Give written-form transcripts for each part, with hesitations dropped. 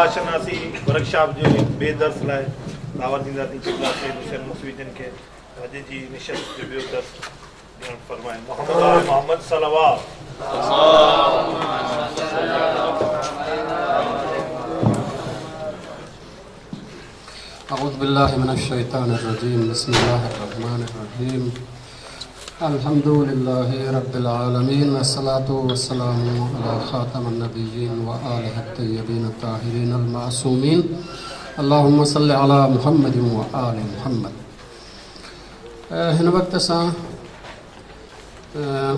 ڪربلا شناسي ورڪشاپ جي ٻئي درس لاء دعوت ڏينداسين قبلا سيد حسين موسوي جن کي اڄ جي نشست جو ٻيو درس ڏيڻ فرمائن. محمد وآل محمد صلوات. اعوذ بالله من الشيطان الرجيم بسم الله الرحمن الرحيم الحمد لله رب العالمين والصلاة والسلام على خاتم النبيين وآله الطيبين الطاهرين المعصومين اللهم صل على محمد وآل محمد. هن وقت اسان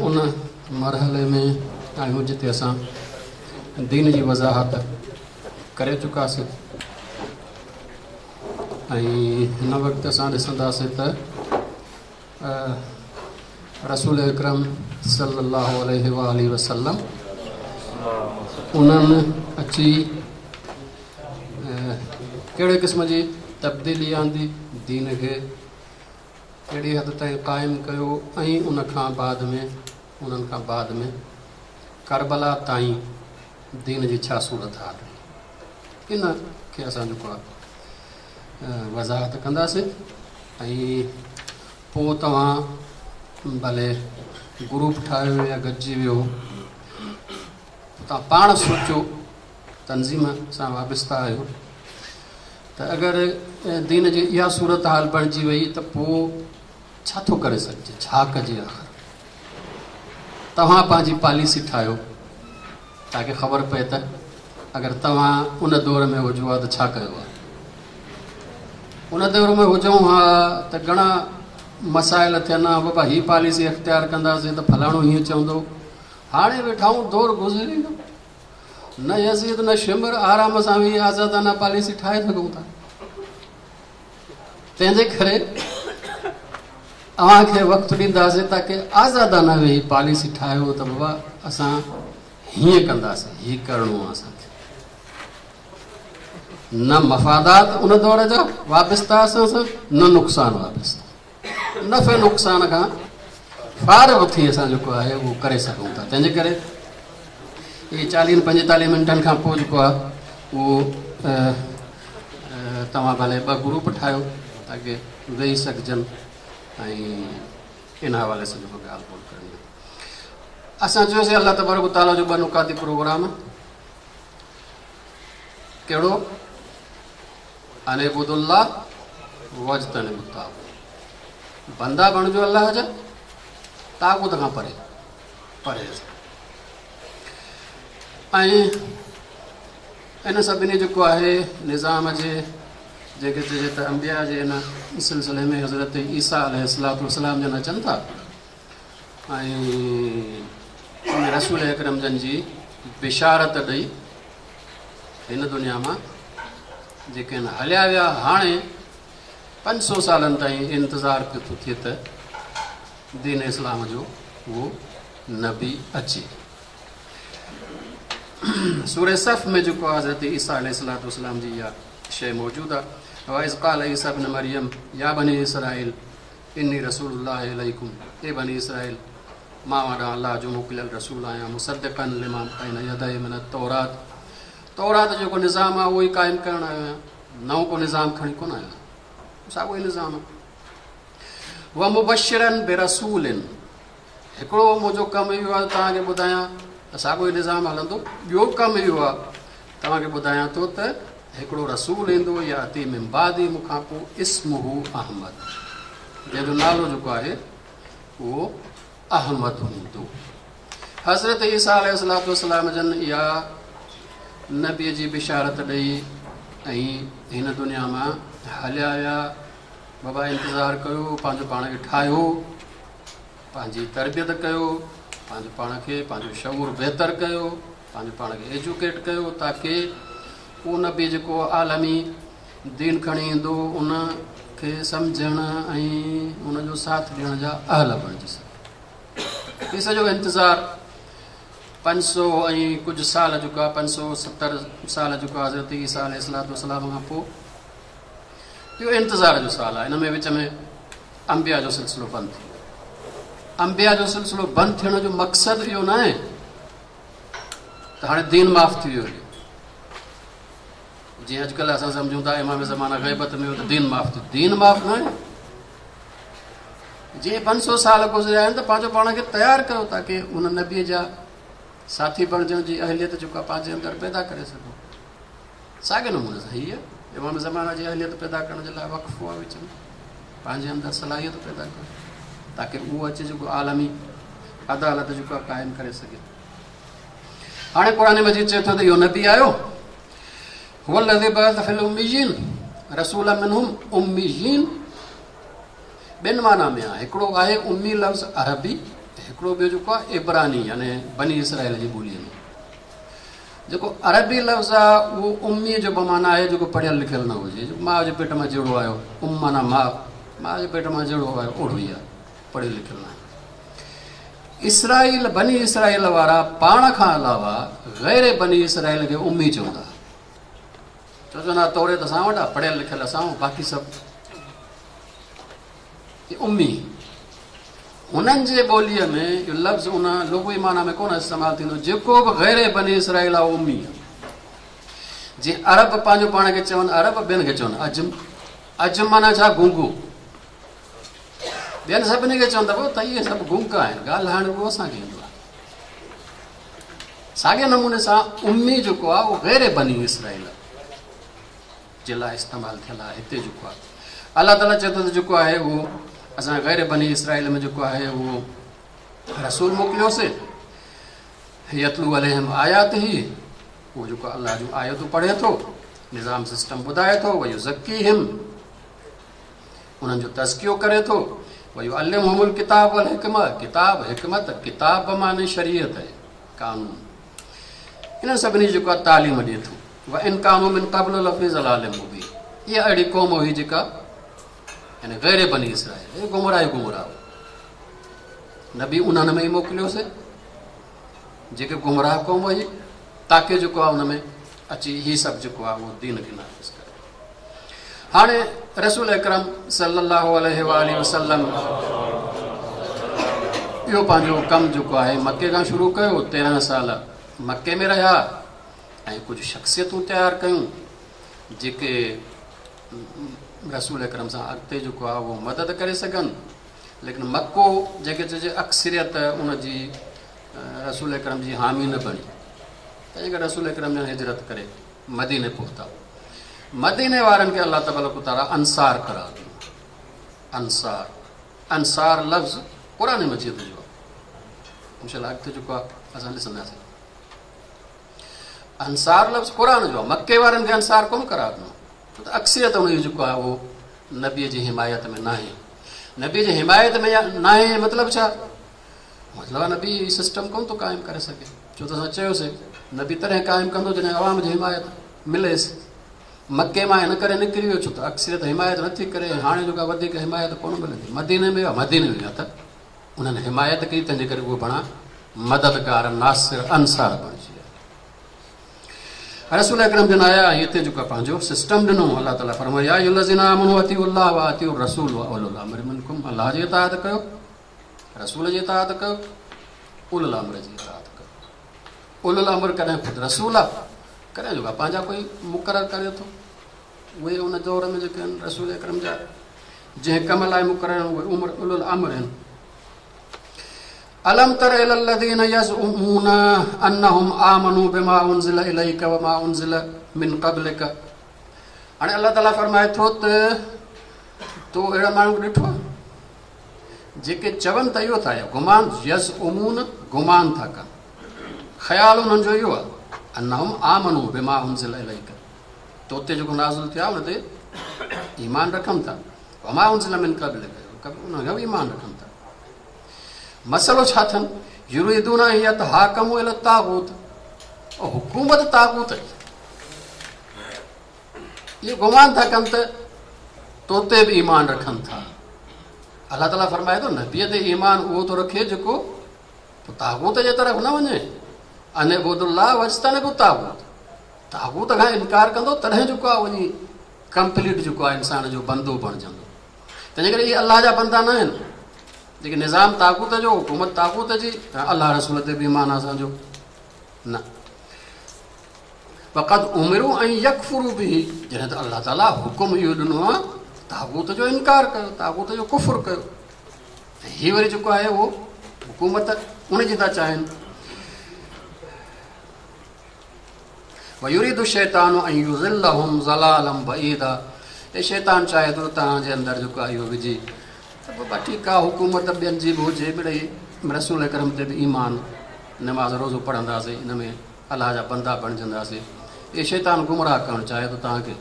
ان مرحلي ۾ آهيون جتي اسان دين جي وضاحت ڪري چڪاسين ۽ هن وقت اسان ڏسنداسين ته رسول اڪرم صلي الله عليه وآله وسلم انهن اچي ڪهڙي قسم جي تبديلي آندي، دين کي ڪهڙي حد تائين قائم ڪيو ۽ ان کان بعد ۾ انهن کان بعد ۾ ڪربلا تائين دين جي ڇا صورت حال رهي، ان کي اسان جيڪو آهي وضاحت ڪنداسين ۽ پوء توهان ڀلي گروپ ٺاهيو يا گڏجي ويو، توهان پاڻ سوچو، تنظيم سان وابسته آهيو ته اگر دين جي اها صورت حال بڻجي وئي ته پوء ڇا ٿو ڪري سگهجي، ڇا ڪجي؟ آخر توهان پنهنجي پاليسي ٺاهيو تاڪه خبر پئي ته اگر توهان ان دور ۾ هجو ها ته ڇا ڪيو ها. ان دور ۾ هجون ها ته گهڻا مسائل ٿين ها، بابا هي پاليسي اختيار ڪنداسين ته فلاڻو هيئن چوندو. هاڻي ويٺا آهيون، دور گذري ويو، نه يزيد نه شمر، آرام سان ويهي آزادانه پاليسي ٺاهي سگهون ٿا. تنهن جي ڪري اوهان کي وقت ڏينداسين تاڪه آزادانه ويهي پاليسي ٺاهيو ته بابا اسان هيئن ڪنداسين، هي ڪرڻو آهي اسان کي. نه مفادات ان دور جا وابسته اسان سان، نه نقصان وابسته، نفع نقصان کان فارغ ٿي اسان جيڪو آهي اهو ڪري سگهون ٿا. تنهن جي ڪري اهي 40 45 منٽن کان پوء جيڪو آهي اهو توهان ڀلي ٻه گروپ ٺاهيو تاڪه ويهي سگهجن ۽ ان حوالي سان جيڪو ڳالهه ٻولهه ڪرڻي آهي. اسان چيوسين الله تبارڪ وتعاليٰ جو ٻه نڪاتي پروگرام، ڪهڙو؟ ان اعبدوا الله واجتنبوا الطاغوت، بندا بڻجو الله جا، طاغوت کان پري پرهيز. ۽ ان سڀني جيڪو آهي نظام جي جيڪي چئجي ته انبياء جي ان سلسلي ۾ حضرت عيسيٰ عليه الصلوة والسلام جن اچن ٿا ۽ ان رسول اڪرم جن جي بشارت ڏئي هن دنيا مان جيڪي آهن هليا ويا. هاڻي 500 سالن تائين انتظار پيو ٿو ٿئي ته دين اسلام جو اهو نبي اچي. سورة صف ۾ جيڪو حضرت عيسيٰ عليه الصلوة والسلام جي اها شيء موجود آهي، وإذ قال عيسيٰ ابن مريم يا بني اسرائيل اني رسول الله اليڪم، اي بني اسرائيل مان اوهان ڏانهن الله جو موڪليل رسول آهيان، مصدقا لما بين يدي من التورات، تورات جو جيڪو نظام آهي اهو ئي قائم ڪرڻ آيو آهيان، نئون ڪو نظام کڻي ڪونه آيو آهيان، ساڳيو ئي نظام آهي. ومبشرا برسول، هڪڙو منهنجو ڪم اهو آهي توهان کي ٻڌايان ته ساڳيو ئي نظام هلندو، ٻيو ڪم اهو آهي توهان کي ٻڌايان ٿو ته هڪڙو رسول ايندو، ياتي من بعدي، مون کان پوء، اسمه احمد، جنهن جو نالو جيڪو آهي اهو احمد هوندو. حضرت عيسيٰ عليه الصلوة والسلام جن اها نبي جي بشارت ڏئي ۽ هن دنيا مان هليا ويا. بابا انتظار ڪيو، پنهنجو پاڻ کي ٺاهيو، پنهنجي تربيت ڪيو، پنهنجو پاڻ کي، پنهنجو شعور بهتر ڪيو، پنهنجو پاڻ کي ايجوڪيٽ ڪيو تاڪه اهو نبي جيڪو عالمي دين کڻي ايندو ان کي سمجهڻ ۽ ان جو ساٿ ڏيڻ جا اهل بڻجي سگهي. هي سڄو انتظار 500 ۽ ڪجهه سال جيڪو آهي، 570 سال جيڪو آهي حضرت عيسيٰ عليه الصلوة والسلام کان پوء اهو انتظار جو سال آهي. ان ۾ وچ ۾ انبياء جو سلسلو بند ٿي ويو. انبياء جو سلسلو بند ٿيڻ جو مقصد اهو نه آهي ته هاڻي دين معاف ٿي ويو. جيئن اڄڪلهه اسان سمجهون ٿا امام زمانه غيبت ۾ ويو ته دين معاف ٿيو، دين معاف نه آهي. جيئن 500 سال گذريا آهن ته پنهنجو پاڻ کي تيار ڪيو تاڪه ان نبيء جا ساٿي بڻجڻ جي اهليت جيڪا پنهنجي اندر پيدا ڪري سگهو. ساڳئي نموني سان هيء امام زمانه جي اهليت پيدا ڪرڻ جي لاء وقفو آهي، وچ ۾ پنهنجي اندر صلاحيت پيدا ڪيو تاڪه اهو اچي جيڪو عالمي عدالت جيڪو قائم ڪري سگهي. هاڻي قرآن مجيد چئي ٿو ته اهو نبي آيو، هو الذي بعث في الاميين رسولا منهم. اميين ٻن معنيٰ ۾ آهي، هڪڙو آهي امي لفظ عربي، هڪڙو ٻيو جيڪو آهي عبراني يعني بني اسرائيل جي ٻوليء ۾ جيڪو عربي لفظ آهي اهو امي جو بمعنيٰ آهي جيڪو پڙهيل لکيل نه هجي، جيڪو ماء جي پيٽ مان جهڙو آيو، ام معنيٰ ماء، ماء جي پيٽ مان جهڙو آيو اوڙو ئي آهي، پڙهيل لکيل نه آهي. اسرائيل بني اسرائيل وارا پاڻ کان علاوه غير بني اسرائيل کي امي چوندا، ڇو چوندا توريت اسان وٽ آهي، پڙهيل لکيل اسان آهيون، باقي سڀ امي. هنن جي ٻوليء ۾ اهو لفظ ان لغوي معنيٰ ۾ ڪونه استعمال ٿيندو، جيڪو به غير بني اسرائيل آهي اهو امي آهي. جيئن عرب پنهنجو پاڻ کي چون عرب، ٻين کي چون عجم. عجم معنيٰ ڇا؟ گونگو. ٻين سڀني کي چون ته پوء ته اهي سڀ گونگا آهن، ڳالهائڻ رڳو اسان کي ايندو آهي. ساڳئي نموني سان امي جيڪو آهي اهو غير بني اسرائيل جي لاء استعمال ٿيل آهي. هتي جيڪو آهي الله تعاليٰ چئي ٿو ته جيڪو آهي اهو اسان غير بني اسرائيل ۾ جيڪو آهي اهو رسول موڪليوسي، يتلو عليهم آياته، اهو جيڪو الله جون آيتون پڙهي ٿو، نظام سسٽم ٻڌائي ٿو، ويزڪيهم، انهن جو تزڪيو ڪري ٿو، ويعلمهم الڪتاب والحڪمة، ڪتاب حڪمت، ڪتاب بمعني شريعت آهي، قانون، انهن سڀني جي جيڪو تعليم ڏئي ٿو. وان ڪانوا من قبل لفي ضلال مبين، اها اهڙي قوم هئي جيڪا يعني غير بني اسرائيل، اهي گمراهه ئي گمراهه هئا. نبي انهن ۾ ئي موڪليوسي جيڪي گمراهه قوم هئي، تاڪه جيڪو آهي ان ۾ اچي هي سڀ جيڪو آهي اهو دين کي نافذ ڪري. هاڻي رسول اڪرم صلي الله عليه واٰله وسلم اهو پنهنجو ڪم جيڪو آهي مڪي کان شروع ڪيو، 13 سال مڪي ۾ رهيا ۽ ڪجهه شخصيتون تيار ڪيون جيڪي رسول اڪرم سان اڳتي جيڪو آهي اهو مدد ڪري سگهن، ليڪن مڪو جيڪي چئجي اڪثريت ان جي رسول اڪرم جي حامي نه بڻي، تنهن ڪري رسول اڪرم جن هجرت ڪري مديني پهتا. مديني وارن کي الله تبارڪ وتعاليٰ انصار قرار ڏنو. انصار، انصار لفظ قرآن مجيد جو آهي، انشاء الله اڳتي جيڪو آهي اسان ڏسنداسين. انصار لفظ قرآن جو آهي، مڪي وارن کي انصار ڪونه قرار ڏنو، ڇو ته اڪثريت ان جو جيڪو آهي اهو نبي جي حمايت ۾ ناهي. نبي جي حمايت ۾ ناهي مطلب ڇا؟ مطلب نبي سسٽم ڪونه ٿو قائم ڪري سگهي، ڇو ته اسان چيوسي نبي تڏهن قائم ڪندو جڏهن عوام جي حمايت مليس. مڪي مان هن ڪري نڪري ويو ڇو ته اڪثريت حمايت نٿي ڪري، هاڻي جيڪا وڌيڪ حمايت ڪونه ملندي. مديني ۾ ويا، مديني ۾ ويا ته انهن حمايت ڪئي، تنهن جي ڪري اهي بڻا مددگار، ناصر، انصار بڻجي ويا. رسول اڪرم جن آيا ۽ هتي جيڪو پنهنجو سسٽم ڏنو، الله تعاليٰ فرمايو يا ايها الذين آمنوا اطيعوا الله واطيعوا الرسول واولو الامر منڪم، الله جي اطاعت ڪيو، رسول جي اطاعت ڪيو، اولو الامر جي اطاعت ڪيو. اولو الامر ڪڏهن خود رسول آ، ڪڏهن جيڪو پنهنجا ڪوئي مقرر ڪري ٿو. اهي ان دور ۾ جيڪي آهن رسول اڪرم جا جنهن ڪم لاء مقرر آهن اهي عمر اولو الامر آهن. الم تر الى الذين يزعمون انهم آمنوا بما انزل اليك وما انزل من قبلك. هاڻي الله تعاليٰ فرمائي ٿو ته تو اهڙا ماڻهو ڏٺو آهي جيڪي چون ته اهو ٿا، گمان، يزعمون گمان ٿا ڪن، خيال انهن جو اهو آهي، انهم آمنوا بما انزل اليك، تو تي جيڪو نازل ٿيو آهي ان تي ايمان رکن ٿا، وما انزل من قبلك، ان کان به ايمان رکن ٿا. مسئلو ڇا اٿن؟ يريدون ان يتحاڪموا الى الطاغوت، حڪومت طاغوت جي، اهو گمان ٿا ڪن ته تو تي به ايمان رکن ٿا. الله تعاليٰ فرمائي ٿو نبيء تي ايمان اهو ٿو رکي جيڪو طاغوت جي طرف نه وڃي. ان اعبدوا الله واجتنبوا الطاغوت، طاغوت کان انڪار ڪندو تڏهن جيڪو آهي وڃي ڪمپليٽ جيڪو آهي انسان جو بندو بڻجندو. تنهنجي ڪري اهي الله جا بندا نه آهن جيڪي نظام طاغوت جو، حڪومت طاغوت جي، الله رسول تي به ايمان اسان جو نه. وقد امروا ان يڪفروا به، جڏهن ته الله تعاليٰ حڪم اهو ڏنو آهي طاغوت جو انڪار ڪيو، طاغوت جو ڪفر ڪيو، ۽ هي وري جيڪو آهي اهو حڪومت ان جي ٿا چاهين. ويريد الشيطان ان يضلهم ضلالا بعيدا، ۽ شيطان چاهي ٿو توهان جي اندر جيڪو آهي اهو وجهي ته بابا ٺيڪ آهي حڪومت ٻين جي به هجي، مڙئي رسول اڪرم تي به ايمان، نماز روزو پڙهنداسين، ان ۾ الله جا بندا بڻجنداسين. اهي شيطان گمراهه ڪرڻ چاهي ٿو توهان کي،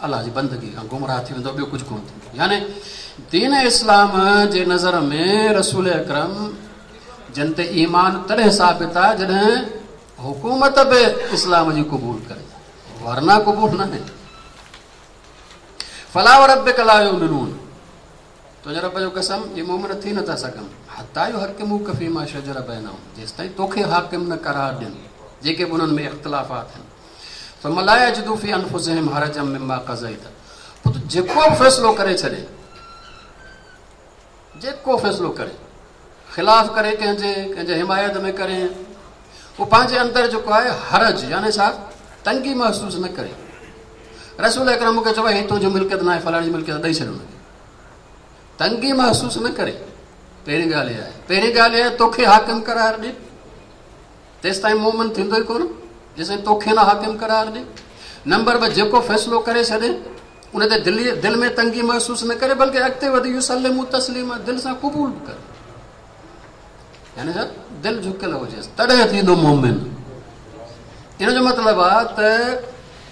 الله جي بندگي کان گمراهه ٿي ويندو، ٻيو ڪجهه ڪونه ٿيندو. يعني دين اسلام جي نظر ۾ رسول اڪرم جن تي ايمان تڏهن ثابت آهي جڏهن حڪومت به اسلام جي قبول ڪري، ورنه قبول نه آهي. فلا وربک لا يؤمنون، تنهنجي رب جو قسم اهي مؤمن ٿي نٿا سگهن، حتيٰ يحڪموڪ فيما شجر بينهم، جيستائين توکي حاڪم نه قرار ڏين جيڪي به انهن ۾ اختلافات آهن. ثم لا يجدوا في انفسهم حرجا مما قضيت، پوء تون جيڪو به فيصلو ڪري ڇڏين، جيڪو فيصلو ڪري، خلاف ڪري ڪنهن جي، ڪنهن جي حمايت ۾ ڪري، هو پنهنجي اندر جيڪو آهي حرج يعني ڇا تنگي محسوس نه ڪري. رسول اڪرم کي چيو هي تنهنجي ملڪيت ناهي، فلاڻي جي ملڪيت ڏئي ڇڏ هن کي، تنگي محسوس نه ڪري. پهرين ڳالهه اها آهي، پهرين ڳالهه اها آهي توکي حاڪم قرار ڏي، تيستائين مومن ٿيندو ئي ڪونه جيستائين توکي نه حاڪم قرار ڏي. نمبر 2 جيڪو فيصلو ڪري ڇڏي ان تي دل ۾ تنگي محسوس نه ڪري، بلڪه اڳتي وڌي يسلموا تسليما، دل سان قبول به ڪري، يعني ڇا دل جهڪيل هجيس تڏهن ٿيندو مومن. ان جو مطلب آهي ته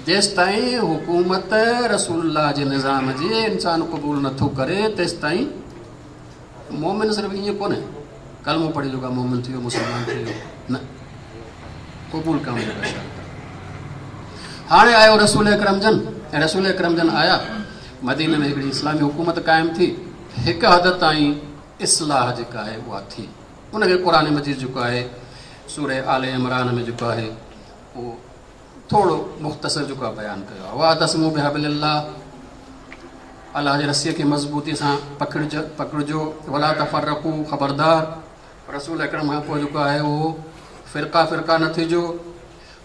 جيستائين حڪومت رسول الله جي نظام جي انسان قبول نٿو ڪري تيستائين مومن صرف ائين ڪونهي ڪلمو پڙهي جيڪو مومن ٿي ويو مسلمان ٿي ويو، نه، قبول ڪرڻ جو شرط آهي. هاڻي آيو رسول اڪرم جن، ۽ رسول اڪرم جن آيا مديني ۾ هڪڙي اسلامي حڪومت قائم ٿي، هڪ حد تائين اصلاح جيڪا آهي اها ٿي. ان کي قرآن مجيد جيڪو آهي سورة آل عمران ۾ جيڪو آهي اهو ٿورو مختصر جيڪو آهي بيان ڪيو آهي. واعتصموا بحبل الله، الله جي رسيء کي مضبوطي سان پڪڙجو، ولا تفرقوا، خبردار رسول اڪرم کان پوء جيڪو آهي اهو فرقا فرقا نه ٿجو.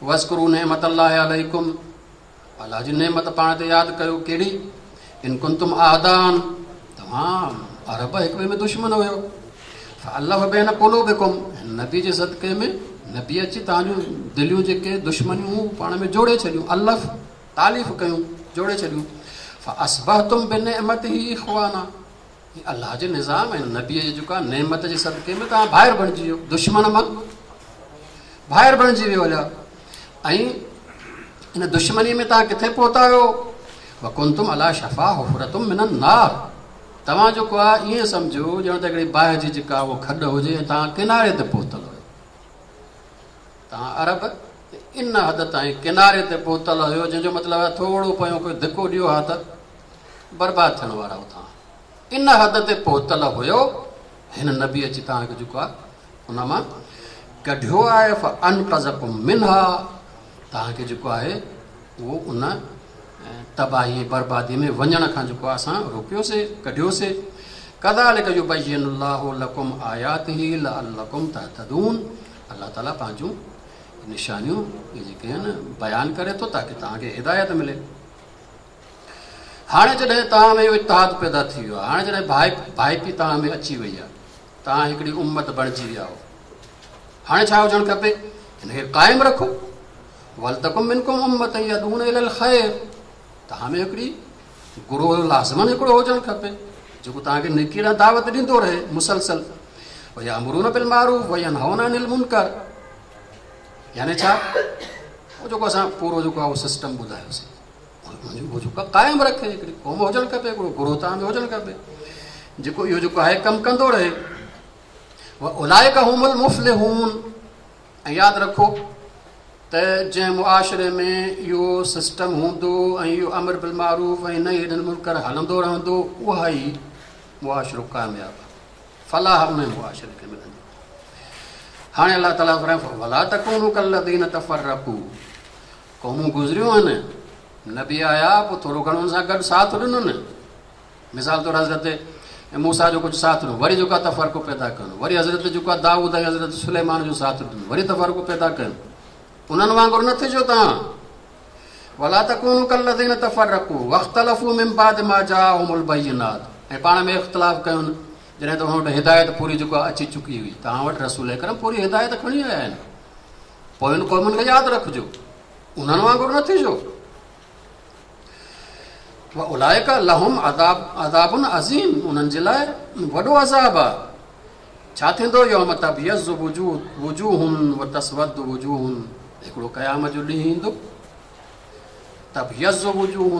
واذڪروا نعمت الله عليڪم، الله جي نعمت پاڻ تي ياد ڪيو، ڪهڙي؟ ان ڪنتم اعداء، توهان عرب هڪ ٻئي ۾ دشمن هيو، فالف بين قلوبڪم، نبي جي صدقي ۾ نبي اچي توهان جون دليون جيڪي دشمنيون هيون پاڻ ۾ جوڙي ڇڏيون، الف تاليف ڪيون، جوڙي ڇڏيون. فاصبحتم بنعمته اخوانا، هي الله جي نظام ۽ نبي جي جيڪا نعمت جي صدقي ۾ توهان ڀائر بڻجي ويو، دشمن مان ڀائر بڻجي ويو هليا. ۽ ان دشمني ۾ توهان ڪٿي پهتا آهيو؟ وڪنتم علي شفا حفرة من النار، توهان جيڪو آهي ائين سمجهو ڄڻ ته هڪڙي باهه جي جيڪا اهو کڏ هجي ۽ توهان ڪناري تي پهتل هيو. توهان عرب ان حد تائين ڪناري تي پهتل هيو جنهن جو مطلب آهي ٿورو پيو ڪوئي ڌڪو ڏيو ها ته برباد ٿيڻ وارا هو. توهان ان حد تي پهتل هيو، هن نبي اچي توهان کي جيڪو آهي ان مان ڪڍيو آهي. فانقذڪم منها، توهان کي جيڪو آهي اهو ان تباهي ۽ بربادي ۾ وڃڻ کان جيڪو آهي اسان روڪيوسي، ڪڍيوسي. ڪذالڪ يبين الله لڪم آياته لعلڪم تهتدون، الله تعاليٰ پنهنجون نشانيون اهي جيڪي آهن بيان ڪري ٿو تاڪه توهان کي هدايت ملي. هاڻي جڏهن توهان ۾ اهو اتحاد پيدا ٿي ويو آهي، هاڻي جڏهن ڀائپي توهان ۾ اچي وئي آهي، توهان هڪڙي امت بڻجي ويا آهيو، هاڻي ڇا هجڻ کپي؟ هن کي قائم رکو. ولتڪن منڪم امة يدعون الي الخير، توهان ۾ هڪڙي گروه لازمن هڪڙو هجڻ کپي جيڪو توهان کي نيڪي ڏانهن دعوت ڏيندو رهي مسلسل. ويامرون بالمعروف وينهون عن المنڪر، يعني ڇا اهو جيڪو اسان پورو جيڪو آهي اهو سسٽم ٻڌايوسين اهو جيڪو قائم رکي، هڪڙي قوم هجڻ کپي، هڪڙو گروه توهان ۾ هجڻ کپي جيڪو اهو جيڪو آهي ڪم ڪندو رهي. واولئک هم المفلحون، ۽ ياد رکو ته جنهن معاشري ۾ اهو سسٽم هوندو ۽ اهو امر بالمعروف ۽ نهي عن المنڪر هلندو رهندو اها ئي معاشرو ڪامياب آهي، فلاح ان معاشري کي ملندي. هاڻي الله تعاليٰ فرمائي ولا تڪونوا ڪالذين تفرقوا، قومون گذريون آهن، نبي آيا پوء ٿورو گهڻو ان سان گڏ ساٿ ڏنن، مثال طور حضرت موسيٰ جو ڪجهه ساٿ ڏنو، وري جيڪو آهي تفرقو پيدا ڪيو، وري حضرت جيڪو آهي دائود ۽ حضرت سليمان جو ساٿ ڏنو، وري تفرقو پيدا ڪيو. انهن وانگر نه ٿجو توهان. ولا تڪونوا ڪالذين تفرقوا واختلفوا من بعد ما جاءهم البينات ۽ پاڻ ۾ اختلاف ڪيون جڏهن ته انهن وٽ هدايت پوري جيڪو اچي چڪي هئي. توهان وٽ رسول اڪرم پوري هدايت کڻي آيا آهن. پوين قومن کي ياد رکجو، انهن وانگر نه ٿجو. واولئک لهم عذاب عذاب عظيم انهن جي لاء وڏو عذاب آهي. ڇا ٿيندو؟ يوم تبيض وجوه وتسود وجوه هڪڙو قيامت جو ڏينهن ايندو. تبيض وجوه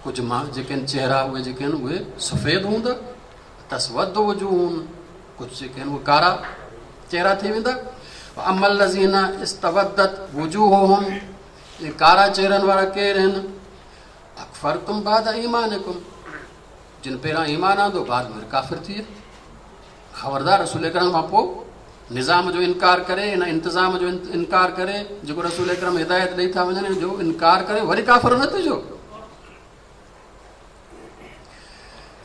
ڪجهه مان جيڪي آهن چهرا اهي جيڪي آهن اهي سفيد هوندا، تسود وجوه ڪجهه جيڪي آهن اهي ڪارا چهرا ٿي ويندا. اما الذين استودت وجوههم اهي ڪارا چهرن وارا ڪير آهن؟ اڪفرتم بعد ايمانڪم جن پهريان ايمان آندو بعد ۾ ڪافر ٿي ويا. خبردار رسول اڪرم کان پوء نظام جو انڪار ڪري، ان انتظام جو انڪار ڪري، جيڪو رسول اڪرم هدايت ڏئي ٿا وڃن ان جو انڪار ڪري وري ڪافر نه ٿجو.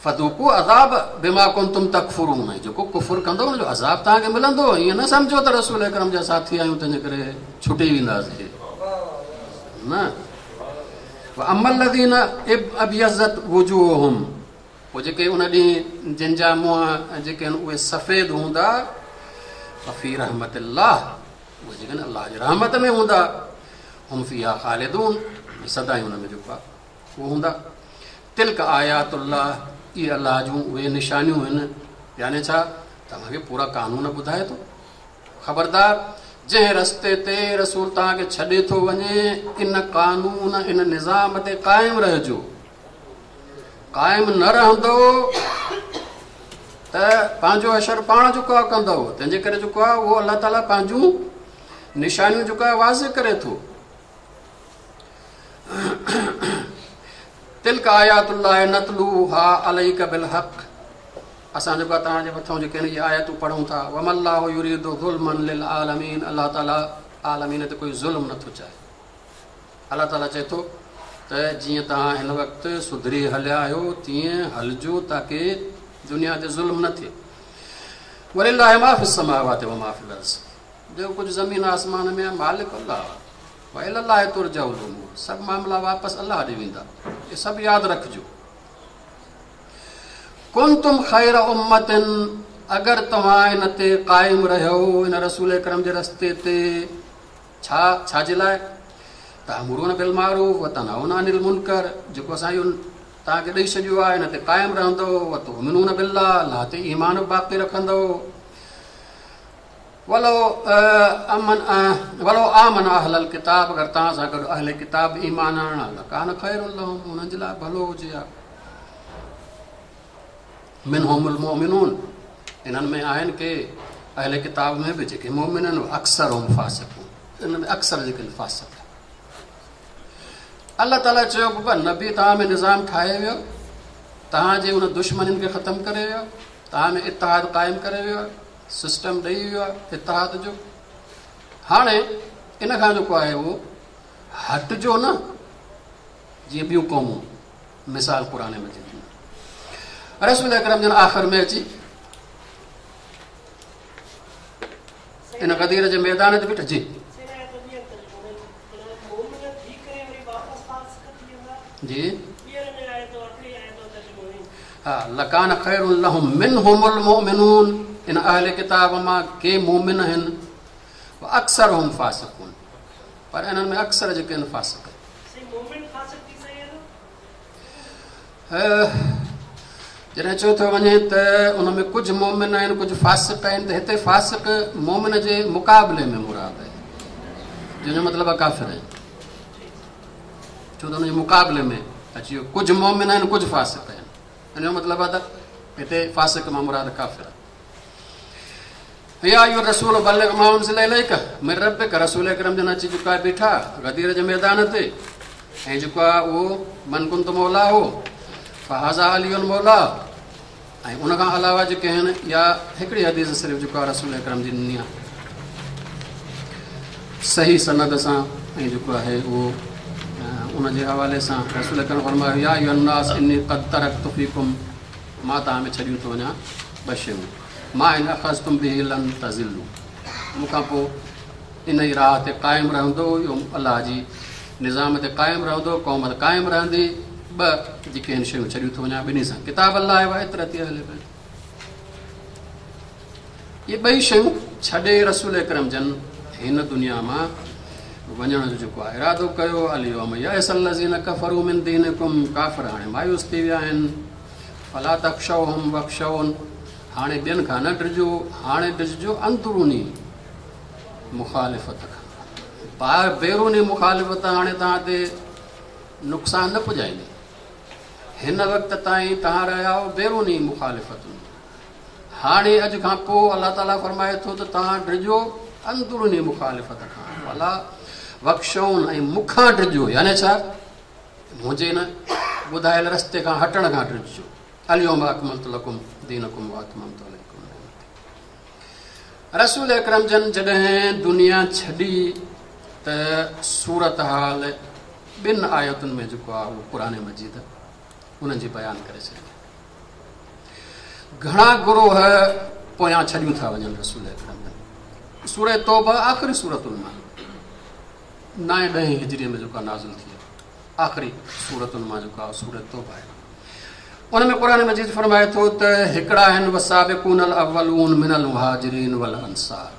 فذوقوا عذاب بما ڪنتم تڪفرون جيڪو ڪفر ڪندو ان جو عذاب توهان کي ملندو. ائين نه سمجهو ته رسول اڪرم جا ساٿي آهيون تنهن جي ڪري ڇٽي وينداسين نه. واما الذين ابيضت وجوههم پوء جيڪي ان ڏينهن جن جا منهن جيڪي آهن اهي سفيد هوندا، ففي رحمت الله اهي جيڪي آهن الله جي رحمت ۾ هوندا، هم فيها خالدون سدائين ان ۾ جيڪو آهي اهو هوندا. تلڪ آيات الله اهي الله جون اهي نشانيون آهن، يعني ڇا توهان کي پورا قانون ٻڌائي ٿو. خبردار جنهن رستي تي رسول توهان کي ڇڏي ٿو وڃي ان قانون ان نظام تي قائم رهجو. قائم نه رهندو ته پنهنجو حشر پاڻ جيڪو آهي ڪندو. تنهن جي ڪري جيڪو آهي اهو الله تعاليٰ پنهنجون نشانيون جيڪو آهي واضح ڪري ٿو. تلڪ آيات الله نتلوها عليڪ بالحق اسان جيڪو توهان جي مٿان جيڪي آهن اهي آيتون پڙهون ٿا. وما الله يريد ظلما للعالمين الله تعاليٰ عالمين تي ڪوئي ظلم نٿو چاهي. الله تعاليٰ چئي ٿو ته جيئن توهان هن وقت سڌري هليا آهيو تيئن هلجو تاڪه دنيا تي ظلم نه ٿئي. ولله ما في السماوات وما في الارض جيڪو ڪجهه زمين آسمان ۾ آهي مالڪ الله آهي. والي الله ترجع الامور سڀ معاملا واپس الله ڏي ويندا. اهي سڀ ياد رکجو. ڪنتم خير امة اگر توهان ان تي قائم رهيو ان رسول اڪرم جي رستي تي، ڇا ڇا جي لاء؟ تامرون بالمعروف وتنهون عن المنڪر جيڪو اسان اهو توهان کي ڏئي ڇڏيو آهي ان تي قائم رهندو، وتؤمنون بالله الله تي ايمان به باقي رکندو. ولو امن ولو آمن اهل الڪتاب اگر توهان سان گڏ اهل ڪتاب ايمان آڻڻ لڪان خير لهم انهن جي لاء ڀلو هجي ها. منهم المؤمنون انهن ۾ آهن ڪي اهل ڪتاب ۾ به جيڪي مؤمن آهن، اڪثرهم فاسقون انهن ۾ اڪثر جيڪي فاسق آهن. الله تعاليٰ چيو بابا نبي توهان ۾ نظام ٺاهي ويو، توهان جي ان دشمنين کي ختم ڪري ويو، توهان ۾ اتحاد قائم ڪري ويو، سسٽم ڏئي ويو آهي اتحاد جو. هاڻي ان کان جيڪو آهي اهو هٽجو نه جيئن ٻيون قومون مثال قرآن مجيد ۾ رسول اڪرم جن آخر ۾ اچي ان غدير جي ميدان تي بيٺا. جي جي ها لڪان خير لهم منهم المؤمنون ان اهل ڪتاب مان ڪي مؤمن آهن، اڪثرهم فاسقون پر انهن ۾ اڪثر جيڪي آهن فاسق آهن. جڏهن چيو ٿو وڃي ته ان ۾ ڪجهه مؤمن آهن ڪجهه فاسق آهن ته هتي فاسق مؤمن جي مقابلي ۾ مراد آهي، جنهن جو مطلب آهي ڪافر آهن، ڇو ته ان جي مقابلي ۾ اچي ويو ڪجهه مؤمن آهن ڪجهه فاسق آهن، ان جو مطلب آهي ته هتي فاسق مان مراد ڪافر آهي. يا ايها الرسول بلغ ما انزل اليك من ربك رسول اڪرم جن اچي چڪا بيٺا غدير جي ميدان تي ۽ جيڪو آهي اهو من ڪنت مولاه فهذا علي مولاه ۽ ان کان علاوه جيڪي آهن يا هڪڙي حديث صرف جيڪو آهي رسول اڪرم جي ڏني آهي صحيح سند سان ۽ جيڪو آهي اهو ان جي حوالي سان رسول اڪرم فرمايو يا ايها الناس اني قد ترڪت فيڪم مان توهان ۾ ڇڏيون ٿو وڃان ٻه شيون ما ان اخذتم به لن تضلوا مون کان پوء ان ئي راهه تي قائم رهندو اهو الله جي نظام تي قائم رهندو، قوم قائم رهندي. ٻه جيڪي آهن شيون ڇڏيون ٿو وڃان ٻنهي سان، ڪتاب الله و عترتي اهل بيت. اهي ٻئي شيون ڇڏي رسول اڪرم جن هن دنيا مان وڃڻ جو جيڪو آهي ارادو ڪيو. اليوم يئس الذين ڪفروا من دينڪم، ڪافر هاڻي مايوس ٿي ويا آهن. فلا تخشوهم واخشون، هاڻي ٻين کان نه ڊڄو، هاڻي ڊڄجو اندروني مخالفت کان. ٻاهر بيروني مخالفت هاڻي توهان تي نقصان نه پڄائيندي. هن وقت تائين توهان رهيا آهيو بيروني مخالفتن، هاڻي اڄ کان پوء الله تعاليٰ فرمائي ٿو ته توهان ڊڄو اندروني مخالفت کان. فلا واخشون، ۽ مون کان ڊڄو، يعني ڇا؟ منهنجي هن ٻڌايل رستي کان هٽڻ کان ڊڄجو. اليوم اڪملت لڪم دينڪم واتممت عليڪم نعمتي. رسول اڪرم جن جڏهن دنيا ڇڏي ته صورت حال ٻن آيتن ۾ جيڪو آهي اهو قرآن مجيد انهن جي بيان ڪري ڇڏي. گهڻا گروهه پويان ڇڏيون ٿا وڃن رسول اڪرم جن. سورة توبه آخري سورتن مان 9 10 هجري ۾ جيڪا نازل ٿي آهي، آخري سورتن مان جيڪا سورة توبه آهي، ان ۾ قرآن مجيد فرمائي ٿو ته هڪڙا آهن والسابقون الاولون من المهاجرين والانصار،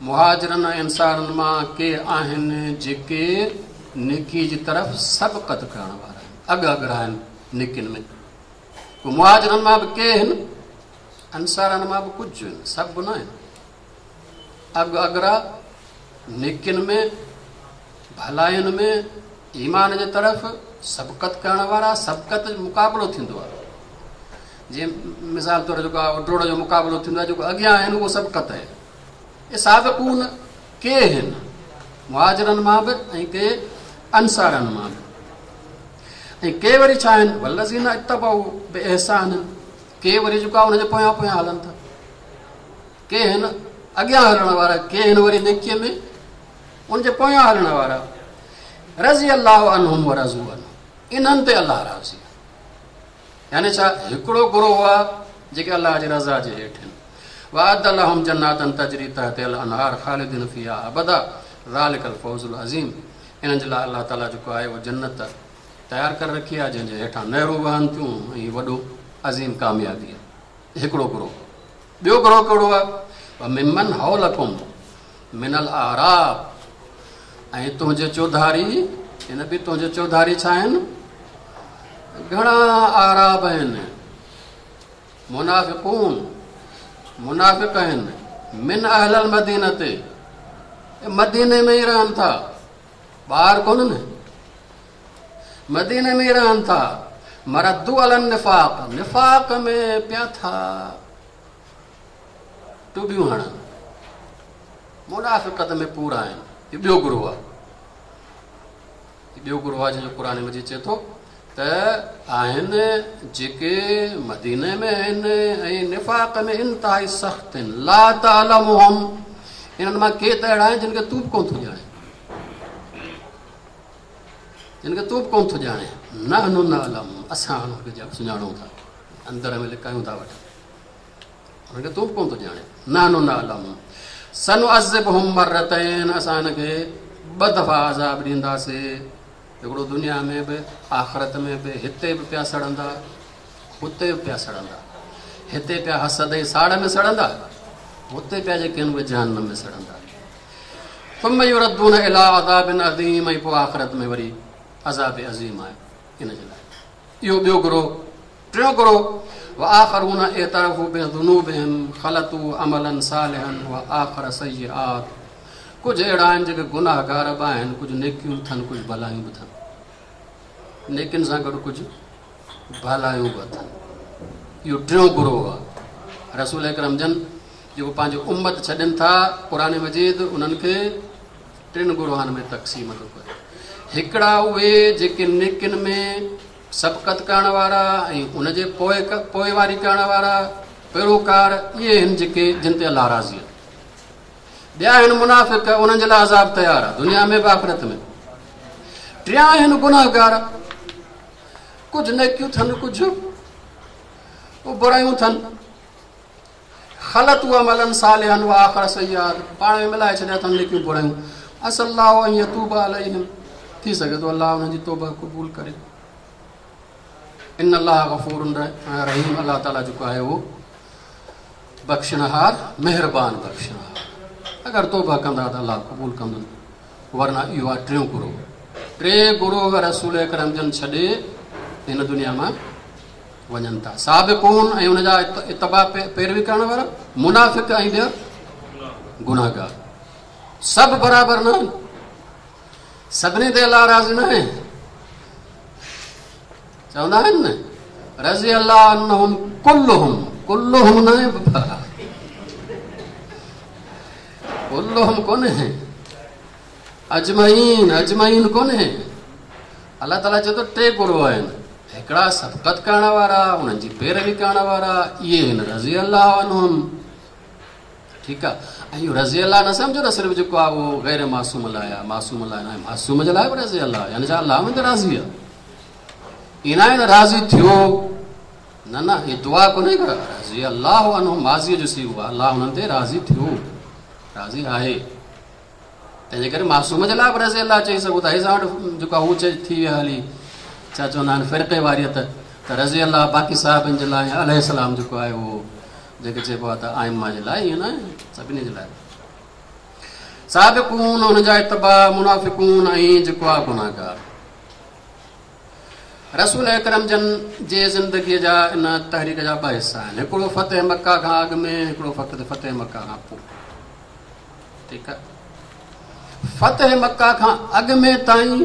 مهاجرن ۽ انصارن مان ڪي آهن جيڪي نيڪي جي طرف سبقت ڪرڻ وارا آهن، اڳ اڳرا آهن نيڪين ۾. مهاجرن مان به ڪي آهن، انصارن مان به ڪجهه آهن، سڀ نه آهن. اڳ اڳرا نيڪين ۾، ڀلاين ۾، ايمان جي طرف سبقت ڪرڻ وارا. سبقت مقابلو ٿيندو آهي، جيئن مثال طور جيڪو آهي ڊوڙ جو مقابلو ٿيندو آهي، جيڪو اڳيان آهن اهو سبقت آهي. اهي سابقون ڪي آهن مهاجرن مان به ۽ ڪي انصارن مان به، ۽ ڪي وري ڇا آهن والذين اتبعوا باحسان، ڪي وري جيڪو آهي ان جي پويان پويان هلن ٿا. ڪي آهن اڳيان هلڻ وارا، ڪي آهن وري نيڪيء ۾ ان جي پويان هلڻ وارا. رضي الله عنهم ورضوا عنه، انهن تي الله راضي آهي. يعني ڇا؟ هڪڙو گروهه آهي جيڪي الله جي رضا جي هيٺ آهن. واعد لهم جنات تجري تحتها الانهار خالدين فيها ابدا ذلڪ الفوز العظيم. انهن جي لاء الله تعاليٰ جيڪو آهي اهو جنت تيار ڪري رکي آهي جنهن جي هيٺان نهرون وهن ٿيون، ۽ وڏو عظيم ڪاميابي آهي. هڪڙو گروهه. ٻيو گروهه ڪهڙو آهي؟ وممن حولڪم من الاعراب، ۽ تنهنجي چوڌاري، هن به تنهنجي چوڌاري ڇا آهن؟ گهڻا اعراب آهن، منافقون، منافق آهن. من اهل المدينه، مديني ۾ ئي رهن ٿا، ٻاهر ڪونهن، مديني ۾ ئي رهن ٿا. مردوا علي النفاق، نفاق ۾ پيا ٿا ٽٻيون هڻن، منافقت ۾ پورا آهن. هي ٻيو گروهه آهي، هي ٻيو گروهه آهي جنهن جو قرآن مجيد چئي ٿو ته آهن جيڪي مديني ۾ آهن ۽ نفاق ۾ انتهائي سخت آهن. لا تعلمهم، انهن مان ڪي ته اهڙا آهن جن کي تون به ڪونه ٿو ڄاڻين، جن کي تون به ڪونه ٿو ڄاڻين. نحن نعلم، اسان انهن کي سڃاڻون ٿا، اندر ۾ لڪايون ٿا وٺن، انهن کي تون به ڪونه ٿو ڄاڻين. نحن نعلم سنعذبهم مرتين، اسان هن کي ٻه دفعا عذاب ڏينداسين، هڪڙو دنيا ۾ به آخرت ۾ به. هتي به پيا سڙندا، هتي به پيا سڙندا. هتي پيا حسد ۽ ساڙ ۾ سڙندا، هتي پيا جيڪي آهن اهي جهنم ۾ سڙندا. ثم يردون الى عذاب عظيم، ۽ پوء آخرت ۾ وري عذاب عظيم آهي ان جي لاء. اهو ٻيو گروهه. ٽيون گروهه وآخرون اعترفوا بذنوبهم خلطوا عملا صالحا وآخر سيئات، ڪجهه اهڙا آهن جيڪي گناهگار به آهن، ڪجهه نيڪيون به اٿن، ڪجهه ڀلايون به اٿن، نيڪين سان گڏ ڪجهه ڀلايون به اٿن. اهو ٽيون گروهه آهي. رسول اڪرم جن جيڪو پنهنجي امت ڇڏين ٿا، قرآن مجيد انهن کي ٽن گروهن ۾ تقسيم ٿو ڪري. هڪڙا اهي جيڪي نيڪين ۾ سبقت ڪرڻ وارا ۽ ان جي پوئواري ڪرڻ وارا پيروڪار، اهي آهن جيڪي جن تي الله راضي آهي. ٻيا آهن منافق، انهن جي لاء عذاب تيار آهي دنيا ۾ به آخرت ۾. ٽيان آهن گناهگار، ڪجهه نيڪيون ٿن، ڪجهه برايون ٿن. خلطوا عملا صالحا واخر سيئات، پاڻ ۾ ملائي ڇڏيا اٿن نيڪيون برايون. عسي الله ان يتوب عليهم، थी सघे थो अलाह हुननि जी तौबा क़बूल करे। इन अल्लाह गफ़ूर रहीम, अल्लाह ताला जेको आहे उहो बख़्शणहार, महिरबान बख़्शणहार। अगरि तौबा कंदा त अलाह क़बूल कंदो, वरना इहो आहे टियों गुरूह। टे गुरूह रसूल अकरम जन छॾे हिन दुनिया मां वञनि था। साबिकून ऐं हुनजा इतबा पैरवी करण वारा, मुनाफ़िक ऐं ॿिया गुनाहगार, सभु बराबरि न आहिनि, सभिनी ते अलाह राज़ी न आहे। चवंदा आहिनि न रज़ी अल्लाह अन्हुम कुल्लुहुम, कुल्लुहुम न आहे बाबा, कुल्लुहुम कोन्हे, अजमईन, अजमईन कोन्हे। अलाह ताला चए थो टे गुरूह आहिनि, हिकिड़ा सबक़त करण वारा, उन्हनि जी पैरवी करण वारा, इहे आहिनि रज़ी अल्लाह अन्हुम। ठीकु आहे। ऐं इहो रज़ी अल्लाह न सम्झो त सिर्फ़ु जेको आहे उहो गैर मासूम लाइ आहे, मासूम लाइ न आहे, मासूम जे लाइ बि रज़ी अल्लाह, यानी छा अलाह में त राज़ी आहे, ईअं न आहे त राज़ी थियो, न न, हीअ दुआ कोन्हे का रज़ी अल्लाह अन्हुम माज़ीअ जो सीगो आहे, अलाह हुननि ते राज़ी थियो, राज़ी आहे। तंहिंजे करे मासूम जे लाइ बि रज़ी अल्लाह चई सघूं था। हे असां वटि जेको आहे उहो चए थी विया हली, छा चवंदा आहिनि फ़िरक़े वारियत, त रज़ी अल्लाह बाक़ी साहिबनि जे लाइ, अलैहिस्सलाम जेको आहे उहो जेके चइबो आहे त आइमा जे लाइ, ईअं न आहे, सभिनी जे लाइ। साबिकून हुनजा इतबा, मुनाफ़िकून ऐं जेको आहे गुनाहगार। रसूल अकरम जन जे ज़िंदगीअ जा इन तहरीक जा ॿ हिसा आहिनि, हिकिड़ो फ़तेह मक्का खां अॻु में, हिकिड़ो फ़तेह मक्का खां पोइ। ठीकु आहे। फ़तेह मक्का खां अॻु में ताईं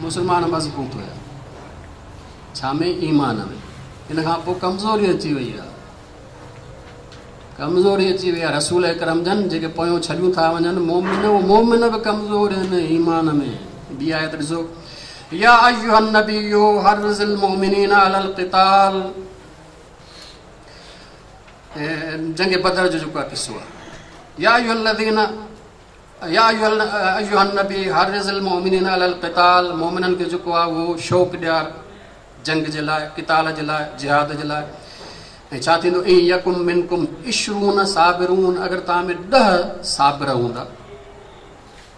मुस्लमान मज़बूत हुया, छा में? ईमान में। इन खां पोइ कमज़ोरी अची वई आहे, कमज़ोरी अची वई आहे। रसूल अकरम जन जेके पोयों छॾियूं था वञनि मोमिन, उहे मोमिन बि कमज़ोर आहिनि ईमान में। ॿी आयत ॾिसो, या अय्युहन नबिय्यु हर्रिज़िल मुमिनीना अलल क़िताल, जंग बदर जो जेको आहे क़िसो आहे। या अय्युहल्लज़ीना या अय्युहन नबी हर्रिज़िल मुमिनीना अलल क़िताल, मोमिननि खे जेको आहे उहो शौक़ ॾियार जंग जे लाइ, क़िताल जे लाइ, जिहाद जे लाइ। ऐं छा थींदो? इन यकुम मिनकुम इशरून साबिरून, अगरि तव्हां में 10 साबिर हूंदा,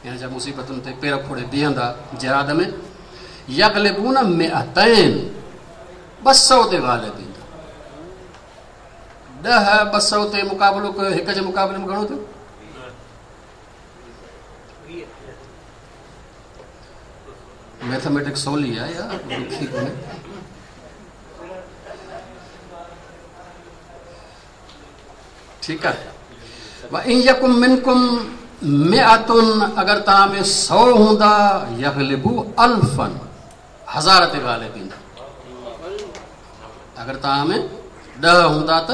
यानी छा मुसीबतुनि ते पेर खोड़े बीहंदा जिहाद में, यग़लिबून मिअतैन, 200 ते ग़ालिब ईंदा। 10 200 ते मुक़ाबिलो कयो, हिक जे मुक़ाबले में घणो थियो? मैथमेटिक्स सवली आहे यार, ॾुखी कोन्हे। ठीकु आहे। व इन यकुम मिनकुम मिअतुन, अगरि तव्हां में 100 हूंदा, यग़लिबू अल्फन, 1000 ते ग़ालिब ईंदा। अगरि तव्हां में 10 हूंदा त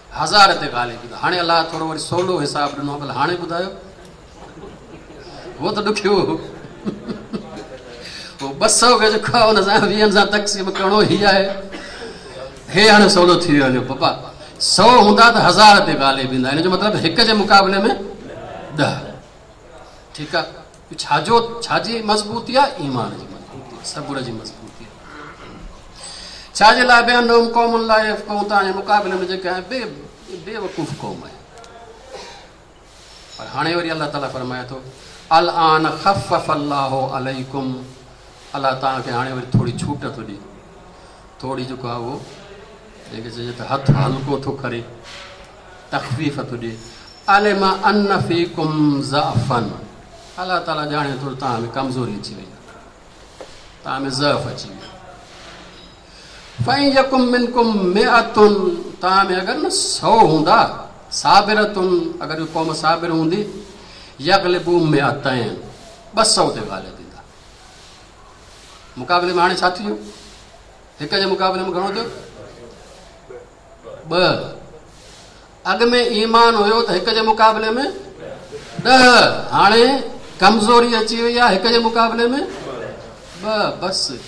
1000 ते ग़ालिब ईंदा। हाणे अलाह थोरो वरी सवलो हिसाबु ॾिनो, भला हाणे ॿुधायो, उहो त ॾुखियो हो। 200 खे जेको आहे हुन सां 20 सां तक़सीम करिणो ई आहे, हे हाणे सवलो थी वियो हलियो पापा। 100 हूंदा त 1000 ते ग़ालिब ईंदा, हिन जो मतिलबु हिक जे मुक़ाबले में 10। ठीकु आहे। छाजो छाजी मज़बूती आहे? ईमान जी मज़बूती, सबुर जी मज़बूती आहे। छाजे लाइ बि क़ौम लाइ क़ौम, तव्हांजे मुक़ाबले में जेके आहे बेवकूफ़ क़ौम आहे। पर हाणे वरी अलाह ताला फरमाए थो, अल आन ख़फ़फ़ अल्लाहु अलैकुम, अलाह तव्हांखे हाणे वरी थोरी छूट थो ॾिए, थोरी जेको आहे उहो जेके चइजे त हथु हल्को थो करे, तख़फ़ीफ़ थो ॾिए। अलिमा अन्न फ़ीकुम ज़अफ़न, अलाह ताला ॼाणे थो तव्हां में कमज़ोरी अची वई आहे, तव्हां में ज़अफ़ अची वियो। फ़इन यकुम मिनकुम मिअतुन, तव्हां में अगरि न 100 हूंदा, साबिरतुन, अगरि क़ौम साबिर हूंदी, यग़लिबू मिअतैन, 200 ते ग़ालिब ईंदा। मुक़ाबले में हाणे छा थी वियो? हिक जे मुक़ाबले में घणो थियो? 2। अॻु में ईमान हुयो त हिक जे मुक़ाबले में 10, हाणे कमज़ोरी अची वई आहे, हिक जे मुक़ाबले में 2 बसि।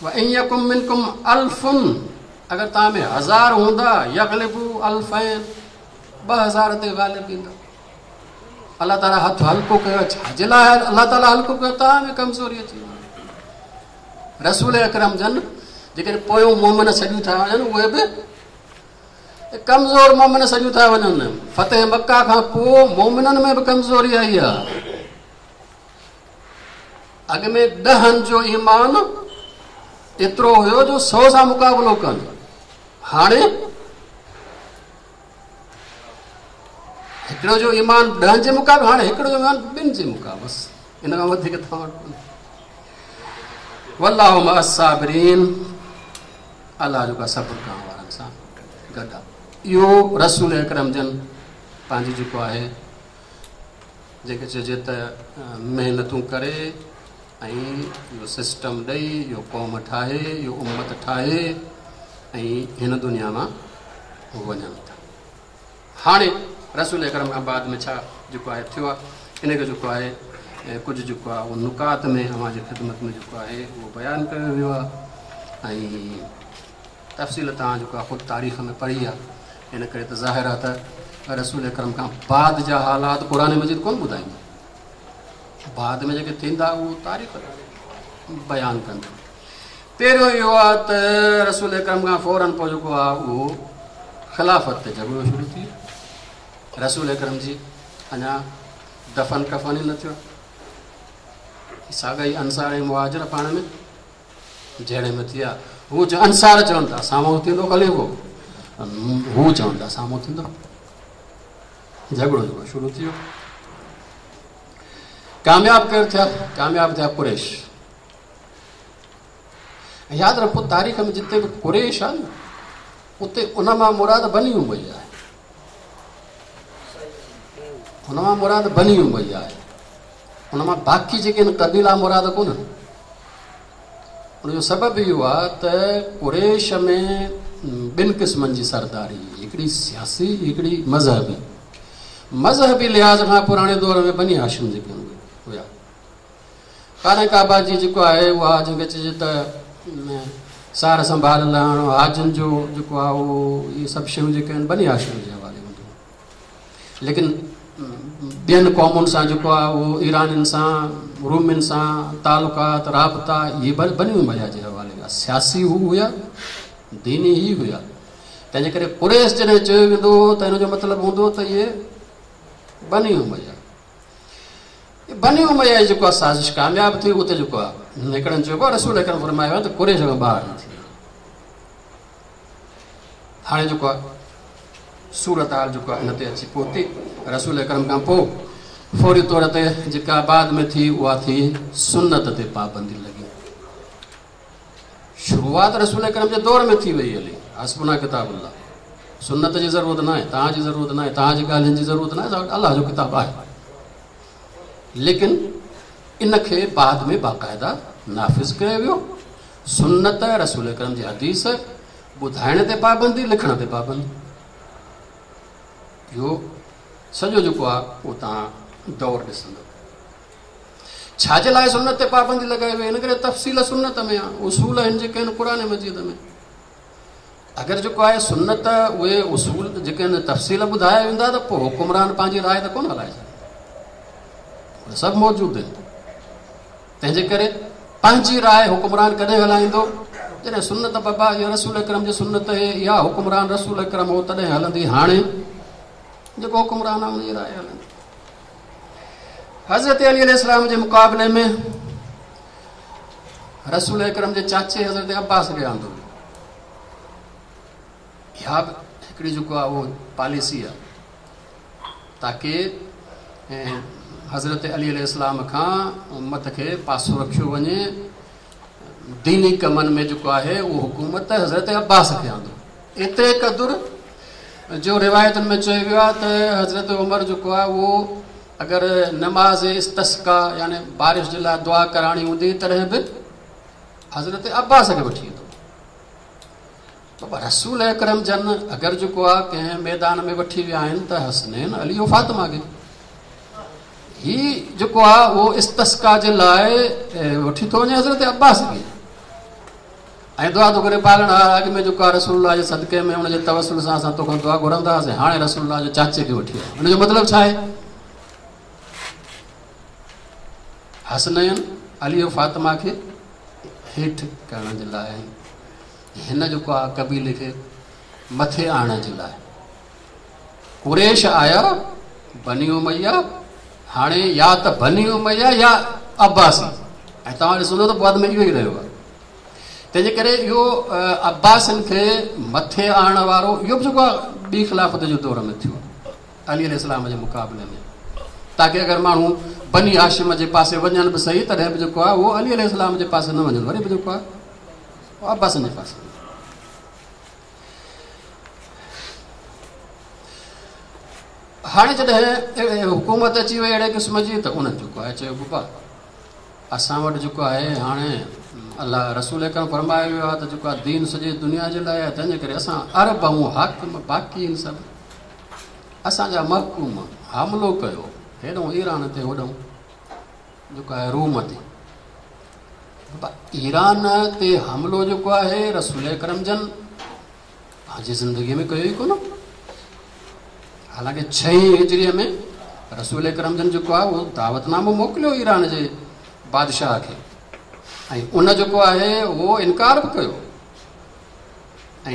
व इन यकुम मिनकुम अल्फुन, अगरि तव्हां में 1000 हूंदा, यग़लिबू अल्फैन, 2000 ते ग़ालिब ईंदा। अलाह ताला हथु हल्को कयो, छाजे लाइ अलाह ताला हल्को कयो? तव्हां में कमज़ोरी अची वई। रसूल अकरम जन जेकॾहिं पोयों मोमिन छॾियूं था वञनि, उहे बि कमज़ोर मोमिन सॼियूं था वञनि। फतेह मक्का खां पोइ मोमिननि में बि कमज़ोरी आई आहे। अॻ में 10 जो ईमान एतिरो हुयो जो 100 सां मुक़ाबिलो कनि, हाणे हिकिड़ो जो ईमान 10 जे मुक़ाबले, हाणे हिकिड़ो जो ईमान 2 जे मुक़ाबले, बसि इन खां वधीक तव्हां वटि कोन्हे। वल्लाहु मअ साबिरीन, अलाह जेको आहे सब्र करण वारनि सां गॾु आहे। इहो रसूल अकरम जन पंहिंजी जेको आहे जेके चइजे त महिनतूं करे ऐं इहो सिस्टम ॾेई, इहो क़ौम ठाहे, इहो उम्मत ठाहे ऐं हिन दुनिया मां वञनि था। हाणे रसूल अकरम खां बाद में छा जेको आहे थियो आहे, इन खे जेको आहे कुझु जेको आहे उहो नुकात में अव्हां जी ख़िदमत में जेको आहे उहो बयानु कयो वियो आहे ऐं तफ़सील तव्हां जेको आहे ख़ुदि तारीख़ में पढ़ी आहे। इन करे त ज़ाहिर आहे त रसूल अकरम खां बाद जा हालात क़ुरान मजीद कोन ॿुधाईंदो, बाद में जेके थींदा उहो तारीख़ बयानु कंदो। पहिरियों इहो आहे त रसूल अकरम खां फ़ौरन पोइ जेको आहे उहो ख़िलाफ़त ते झगड़ो शुरू थी वियो। रसूल अकरम जी अञा दफ़न कफ़न ई न थियो, साॻा ई अंसार ऐं मुहाजिर पाण में जहिड़े में थिया। हू अंसार चवनि था साम्हूं थींदो ख़लीफ़ो, हू चवनि था साम्हूं थींदो, झगड़ो जेको शुरू थी वियो। कामयाब केरु थिया? कामयाब थिया कुरैश। यादि रखो तारीख़ में जिते बि कुरैश आहे न उते उन मां मुराद बनी उमैया आहे, उन मां मुराद बनी उमैया आहे, उन मां बाक़ी जेके आहिनि क़बीला मुराद कोन्हनि। उनजो सबबु इहो आहे त कुरैश में ॿिनि क़िस्मनि जी सरदारी, हिकिड़ी सियासी, हिकिड़ी मज़हबी। मज़हबी लिहाज़ खां पुराणे दौर में बनी हाशिम जेके हुया, ख़ाना काबा जी जेको आहे उहा जंहिंखे चइजे त सार संभाल लहणु, हाजियुनि जो जेको आहे उहो इहे सभु शयूं जेके आहिनि बनी हाशिम जे हवाले हूंदियूं। लेकिन ॿियनि क़ौमुनि सां जेको आहे उहो ईरानियुनि सां, रूमियुनि सां तालुकात, राबता इहे बनी उमैया जे हवाले हुआ। सियासी हू हुया, दीनी ई हुया। तंहिंजे करे कुरैश जॾहिं चयो वेंदो हो त हिनजो मतिलबु हूंदो त इहे बनी उमैया। बनी उमैया जी जेको आहे साज़िश कामयाबु थी, उते जेको आहे हिकिड़नि चयो रसूल अकरम फरमायो आहे त कुरैश खां ॿाहिरि न थी। हाणे जेको आहे सूरत हाल जेको आहे इन ते अची पहुती। रसूल अकरम खां पोइ फौरी तौर ते जेका बाद में थी उहा थी सुन्नत ते पाबंदी लॻी। शुरूआत रसूल अकरम जे दौर में थी वई हली, हसबुना किताबुल्लाह, सुन्नत जी ज़रूरत न आहे, तव्हांजी ज़रूरत न आहे, तव्हांजी ॻाल्हियुनि जी ज़रूरत न आहे, अलाह जो किताबु आहे। लेकिन इन खे बाद में बाक़ाइदा नाफ़िज़ कयो वियो। सुन्नत रसूल अकरम जी हदीस ॿुधाइण ते पाबंदी, लिखण ते पाबंदी, इहो सॼो जेको आहे उहो तव्हां दौर ॾिसंदव। छाजे लाइ सुन्नत ते पाबंदी लॻाई वई? हिन करे तफ़सील सुन्नत में आहे, उसूल आहिनि जेके आहिनि क़ुरान मजीद में। अगरि जेको आहे सुन्नत उहे उसूल जेके आहिनि तफ़सील ॿुधाया वेंदा त पोइ हुकुमरान पंहिंजी राय त कोन हलाए सघंदा, सभु मौजूदु आहिनि। तंहिंजे करे पंहिंजी राय हुकुमरान कॾहिं हलाईंदो? जॾहिं सुन्नत बाबा इहा रसूल अकरम जी सुन्नत आहे, इहा हुकुमरान रसूल अकरम हो तॾहिं हलंदी। हाणे जेको हुकुमरान आहे उनजी राय हलंदी। हज़रत अली अलैहिस्सलाम जे मुक़ाबले में रसूल अकरम जे चाचे हज़रत अब्बास खे आंदो वियो। इहा बि हिकिड़ी जेको आहे उहो पॉलिसी आहे ताकी हज़रत अली अलैहिस्सलाम खां उम्मत खे पासो रखियो वञे, दीनी कमनि में जेको आहे उहो हुकूमत हज़रत अब्बास खे आंदो। एतिरे क़दुरु जो रिवायतुनि में चयो वियो आहे त हज़रत उमर जेको आहे उहो अगरि नमाज़ इस्तस्का यानी बारिश जे लाइ दुआ कराइणी हूंदी तॾहिं बि हज़रत अब्बास खे वठी ईंदो। बाबा रसूल अकरम जन अगरि जेको आहे कंहिं मैदान में वठी विया आहिनि त हसनैन अली ऐं फातिमा खे ही जेको आहे उहो इस्तस्का जे लाइ वठी थो वञे हज़रत अब्बास खे ऐं दुआ थो करे पालणहार अॻु में जेको आहे रसूलुल्लाह जे सदके में हुनजे तवसुल सां असां तोखां दुआ घुरंदा हुआसीं, हाणे रसूलुल्लाह जे चाचे खे वठी आयो। हुनजो मतिलबु छा आहे? हसनैन अली ऐं फातिमा खे हेठि करण जे लाइ हिन जेको आहे क़बीले खे مٿي آڻڻ جي لاءِ. قريش آيا، بني اميه، هاڻي يا ته بني اميه يا عباسي، ۽ توهان ڏسندو ته بعد ۾ اهو ئي رهيو آهي. تنهنجي ڪري اهو عباسين کي مٿي آڻڻ وارو اهو به جيڪو آهي ٻي خلافت جو دور ۾ ٿيو علي عليه السلام جي مقابلي ۾، تاڪه اگر ماڻهو بني هاشم جي پاسي وڃن به صحيح تڏهن به جيڪو آهي اهو علي عليه السلام جي پاسي نه وڃن، وري به جيڪو آهي اهو عباسين جي پاسي وڃن. هاڻي جڏهن حڪومت اچي وئي اهڙي قسم جي ته انهن جيڪو آهي چيو بابا اسان وٽ جيڪو آهي هاڻي الله رسول اڪرم فرمايو ويو آهي ته جيڪو آهي دين سڄي دنيا جي لاءِ آهي، تنهن جي ڪري اسان عرب آهيون حاڪم، باقي آهن سڀ اسان جا محڪوم. حملو ڪيو هيڏئون ايران تي، هوڏئون جيڪو آهي روم تي. بابا ايران تي حملو جيڪو آهي رسول اڪرم جن پنهنجي زندگيء ۾ ڪيو ئي ڪونه. حالانڪه ڇهين هجريء ۾ رسول اڪرم جن جيڪو آهي اهو دعوت نامو موڪليو ايران جي بادشاهه کي، ۽ ان جيڪو آهي اهو انڪار به ڪيو، ۽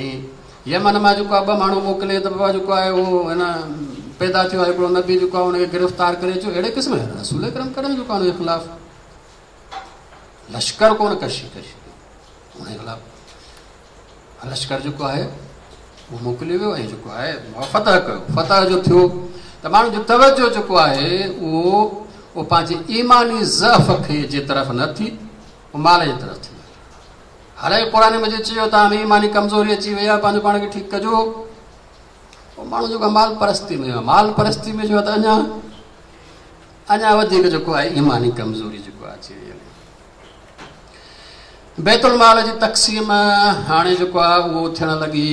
يمن مان جيڪو آهي ٻه ماڻهو موڪلي ته بابا جيڪو آهي اهو هن پيدا ٿيو آهي هڪڙو نبي جيڪو آهي ان کي گرفتار ڪري اچو. اهڙي قسم جا رسول اڪرم ڪڏهن جيڪو آهي ان جي خلاف لشڪر ڪونه ڪشي ڪئي، ان جي خلاف لشڪر جيڪو آهي اهو موڪليو ويو ۽ جيڪو آهي فتح ڪيو. فتح جو ٿيو ته ماڻهن جو توجه جيڪو آهي اهو اهو پنهنجي ايماني ضعف کي جي طرف نه ٿي، اهو مال جي طرف ٿي. حالانڪه قرآن مجيد چيو توهان ۾ ايماني ڪمزوري اچي وئي آهي، پنهنجو پاڻ کي ٺيڪ ڪجو. پوء ماڻهو جيڪو مال پرستي ۾ مال پرستي ۾ جو ته اڃا اڃا وڌيڪ جيڪو آهي ايماني ڪمزوري جيڪو آهي اچي وئي. بيت المال جي تقسيم هاڻي جيڪو آهي اهو ٿيڻ لڳي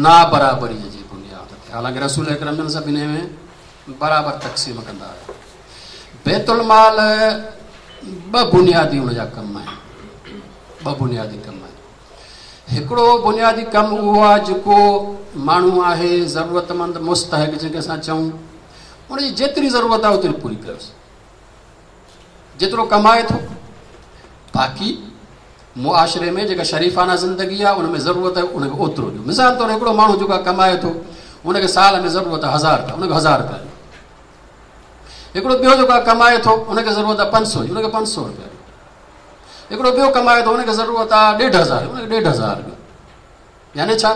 نابرابري جي بنياد تي. حالانڪه رسول اڪرم جن سڀني ۾ برابر تقسيم ڪندا هيا. بيت المال ٻه بنيادي ان جا ڪم آهن، ٻه بنيادي ڪم آهن. هڪڙو بنيادي ڪم اهو آهي جيڪو ماڻهو آهي ضرورتمند مستحق جنهن کي اسان چئون، ان جي جيتري ضرورت آهي اوتري پوري ڪيوس، جيترو ڪمائي ٿو. باقي معاشري ۾ جيڪا شريفانه زندگي آهي ان ۾ ضرورت آهي ان کي اوترو ڏيو. مثال طور هڪڙو ماڻهو جيڪو ڪمائي ٿو ان کي سال ۾ ضرورت آهي 1000 رپيا، ان کي 1000 رپيا ڏيو. هڪڙو ٻيو جيڪو ڪمائي ٿو ان کي ضرورت آهي 500 جي، ان کي 500 رپيا ڏيو. هڪڙو ٻيو ڪمائي ٿو ان کي ضرورت آهي 1500، ان کي 1500 ڏيو. يعني ڇا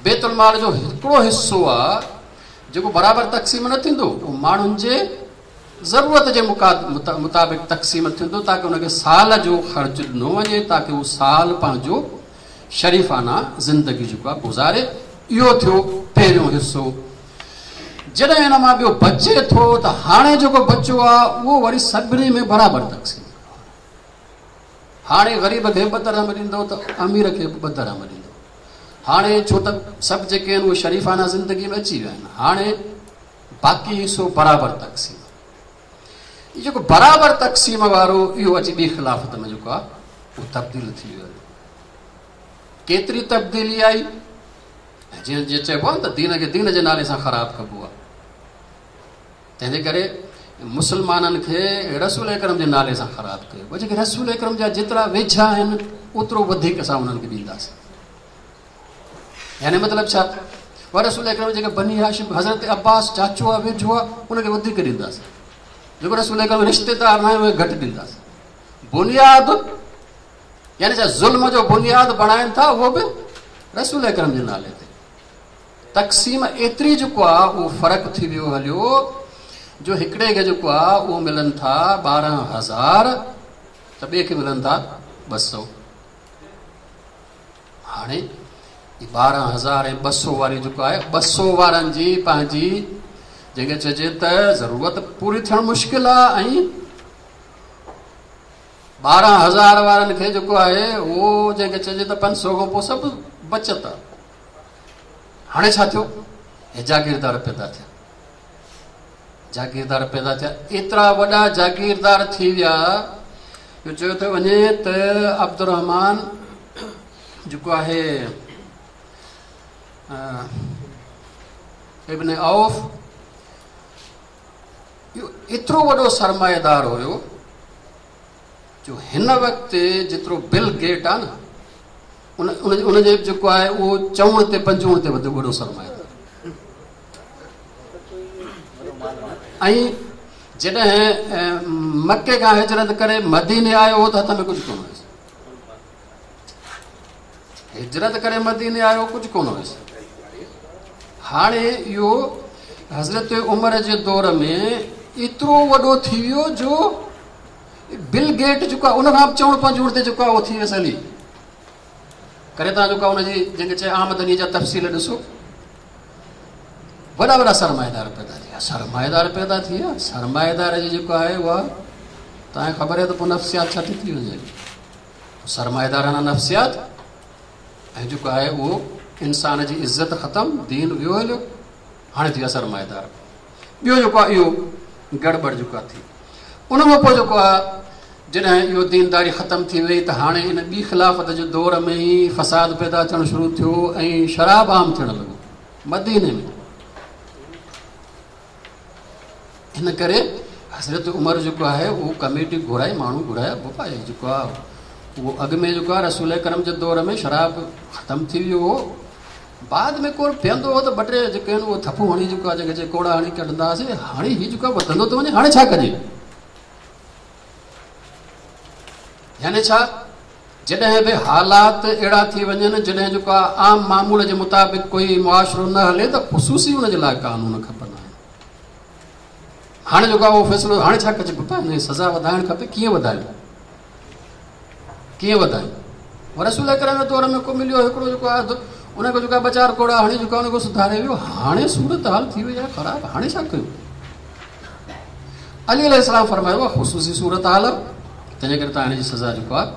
بيت المال جو هڪڙو حصو آهي جيڪو برابر تقسيم نه ٿيندو، اهو ماڻهن جي ضرورت جي مطابق تقسيم ٿيندو، تاڪه ان کي سال جو خرچ ڏنو وڃي، تاڪه هو سال پنهنجو شريفانه زندگي جيڪو آهي گذاري. اهو ٿيو پهريون حصو. جڏهن هن مان ٻيو بچي ٿو ته هاڻي جيڪو بچيو آهي اهو وري سڀني ۾ برابر تقسيم. هاڻي غريب کي 2 درهم ڏيندو ته امير کي به 2 درهم ڏيندو. هاڻي ڇو ته سڀ جيڪي آهن اهي شريفانه زندگي ۾ اچي ويا آهن، هاڻي باقي حصو برابر تقسيم. هي جيڪو برابر تقسيم وارو اهو اچي ٻي خلافت ۾ جيڪو آهي اهو تبديل ٿي ويو. ڪيتري تبديلي آئي؟ جيئن جيئن چئبو آهي نه ته دين کي دين جي نالي سان خراب ڪبو آهي، تنهنجي ڪري مسلمانن کي رسول اڪرم جي نالي سان خراب ڪيو. پر جيڪي رسول اڪرم جا جيترا ويجها آهن اوترو وڌيڪ اسان انهن کي ڏينداسين. يعني مطلب ڇا؟ پر رسول اڪرم جيڪي بني هاشم حضرت عباس چاچو آهي ويجهو آهي ان کي وڌيڪ ڏينداسين، جيڪو رسول اڪرم رشتيدار نه آهي ان کي گهٽ ڏينداسين. بنياد يعني ڇا ظلم جو بنياد بڻائن ٿا اهو به رسول اڪرم جي نالي تي. تقسيم ايتري جيڪو آهي اهو فرق ٿي ويو هليو جو هڪڙي کي جيڪو آهي اهو ملن ٿا 12000 ته ٻئي کي ملن ٿا 200. هاڻي 12000 ۽ 200 واري جيڪو آهي 200 وارن جي پنهنجي جنهن کي چئجي ته ضرورت پوري ٿيڻ مشڪل آهي، ۽ 12000 وارن کي جيڪو آهي اهو جنهن کي چئجي ته 500 کان پوء سڀ بچت آهي. هاڻي ڇا ٿيو؟ هي جاگيردار پيدا ٿيا، جاگيردار پيدا ٿيا، ايترا وڏا جاگيردار ٿي ويا جو چيو ٿو وڃي ته عبدالرحمان جيڪو آهي ابن عوف اهو ايترو وڏو سرمائيدار هيو جو هن وقت جيترو بل گيٽ آهي نه ان ان جي جيڪو آهي اهو چئوڻ تي پنجوڻ تي وڌ وڏو سرمائيدار. ۽ جڏهن مڪي کان هجرت ڪري مديني آيو هو ته هٿ ۾ ڪجهه ڪونه هيس. هجرت ڪري مديني آيو ڪجهه ڪونه هيس. هاڻي اهو حضرت عمر جي دور ۾ ايترو وڏو ٿي ويو جو بل گيٽ جيڪو آهي ان کان به چئوڻ پنجوڻ تي جيڪو آهي اهو ٿي ويس هلي ڪري تان جيڪو ان جي جنهن کي چئي آمدني جا تفصيل ڏسو وڏا وڏا سرمائيدار پيدا ٿي ويا سرمائيدار پيدا ٿي ويا سرمائيدار جي جيڪو آهي اها توهان کي خبر آهي ته پوء نفسيات ڇا ٿي ٿي وڃي سرمائيدارانه نفسيات ۽ جيڪو آهي اهو انسان جي عزت ختم دين ويو هليو هاڻي ٿي ويا سرمائيدار ٻيو جيڪو آهي اهو گڙٻڙ جيڪو آهي ٿي ان کان پوء جيڪو آهي جڏهن اهو دينداري ختم ٿي وئي ته هاڻي ان ٻي خلافت جي دور ۾ ئي فساد پيدا ٿيڻ شروع ٿيو ۽ شراب عام ٿيڻ لڳو مديني ۾. ان ڪري حضرت عمر جيڪو آهي اهو ڪميٽي گهرائي ماڻهو گهرايا بابا هي جيڪو آهي اهو اڳ ۾ جيڪو آهي رسول اڪرم جي دور ۾ شراب ختم ٿي ويو هو بعد ۾ ڪو پيئندو هو ته ٻه ٽي جيڪي آهن اهو ٿڦون هڻي جيڪو آهي جنهن کي چئي ڪوڙا هڻي ڪڍندا هئاسين هاڻي هي جيڪو آهي وڌندو ٿو وڃي هاڻي ڇا ڪجي يعني ڇا جڏهن به حالات اهڙا ٿي وڃن جڏهن جيڪو آهي عام معمول جي مطابق ڪوئي معاشرو نه هلي ته خصوصي ان جي لاء قانون کپندا آهن هاڻي جيڪو آهي اهو فيصلو هاڻي ڇا ڪجي پپا هن جي سزا وڌائڻ کپي ڪيئن وڌايون ڪيئن وڌايون رسول اڪرم جي دور ۾ ڪو مليو هڪڙو جيڪو آهي ان کي جيڪو ٻه چار ڪوڙا هڻي جيڪو ان کي سڌاري ويو هاڻي صورت حال ٿي وئي آهي خراب هاڻي ڇا ڪيون علي عليه السلام فرمايو اها خصوصي صورت حال آهي تنهن جي ڪري توهان هن جي سزا جيڪو آهي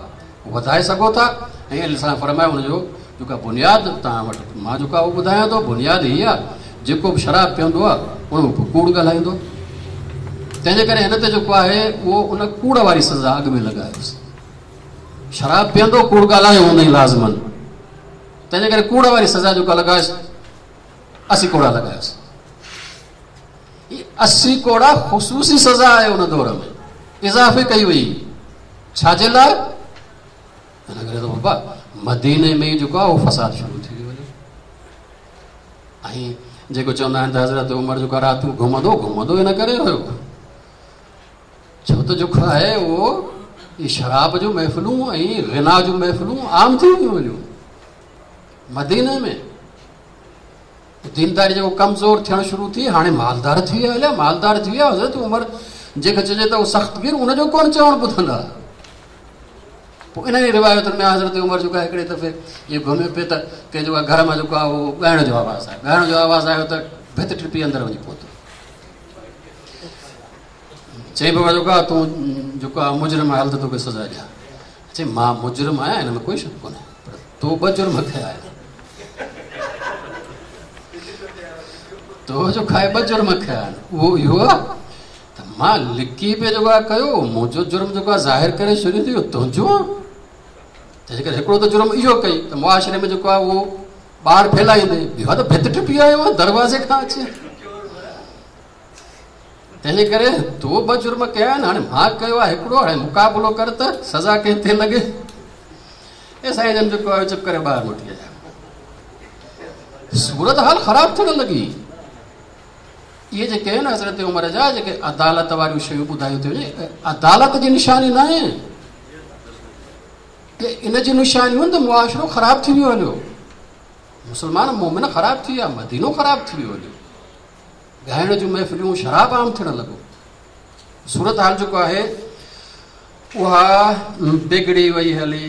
وڌائي سگهو ٿا ۽ عليه السلام فرمايو هن جو جيڪو بنياد توهان وٽ مان جيڪو آهي اهو ٻڌايان ٿو بنياد هي آهي جيڪو به شراب پيئندو آهي ان پوء ڪوڙ ڳالهائيندو تنهن جي ڪري هن تي جيڪو آهي اهو ان ڪوڙ واري سزا اڳ ۾ لڳايوس شراب پيئندو ڪوڙ ڳالهايو هوندئي لازمن تنهن جي ڪري ڪوڙ واري سزا جيڪا لڳايس 80 ڪوڙا لڳايس هي 80 ڪوڙا خصوصي سزا آهي ان دور ۾ اضافي ڪئي وئي ڇا جي لاء ان ڪري ته بابا مديني ۾ ئي جيڪو آهي اهو فساد شروع ٿي ويو ۽ جيڪو چوندا آهن ته حضرت عمر جيڪو راتيون گهمندو گهمندو ان ڪري هيو ڇو ته جيڪو آهي اهو شراب جون محفلون ۽ غنا جون محفلون عام ٿي ويون هيون مديني ۾ دينداري جيڪو ڪمزور ٿيڻ شروع ٿي هاڻي مالدار ٿي ويا هليا مالدار ٿي ويا حضرت عمر جنهن کي چئجي ته هو سخت گير ان جو ڪونه چوڻ ٻڌندا پوء انهن ئي روايتن ۾ حضرت عمر جيڪو آهي هڪڙي دفعي ائين گهميو پئي ته ڪنهن جيڪو گهر مان جيڪو آهي اهو ڳائڻ جو آواز آيو ڳائڻ جو آواز آيو ته ڀت ٽپي اندر وڃي پهتو چئي بابا جيڪو آهي تون جيڪو آهي مجرم آهي هل ته توکي سزا ڏيان چئي مان مجرم آهيان هن ۾ ڪوئي شڪ ڪونهي پر تو ٻه جرم ڪيا آهن تو جو کائي ٻه جرم ڪيا آهن اهو اهو آهي ته مان لڪي پئي جيڪو آهي ڪيو منهنجو جرم جيڪو آهي ظاهر ڪري ڇڏيو اهو تنهنجو آهي تنهنجي ڪري هڪڙو ته جرم اهو ڪئي ته معاشري ۾ جيڪو آهي اهو ٻار ڦيلائيندي ٻيو ته ڀت ٽپي آيو آهي دروازي کان اچي تنهنجي ڪري تو ٻه جرم ڪيا آهن هاڻي مان ڪيو آهي هڪڙو هاڻي مقابلو ڪر ته سزا ڪنهن تي لڳي اي سائين جن جيڪو آيو چپ ڪري ٻاهر موٽي آيا صورت حال خراب ٿيڻ لڳي اهي جيڪي آهن حضرت عمر جا جيڪي عدالت واريون شيون ٻڌايون ٿيون وڃي عدالت جي نشاني نه آهي ان جي نشانيون ته معاشرو خراب ٿي ويو هليو مسلمان مومن خراب ٿي ويا مدينو خراب ٿي ويو هليو ڳائڻ جون محفلون شراب عام ٿيڻ لڳو صورت حال جيڪو آهي اها بگڙي وئي هلي.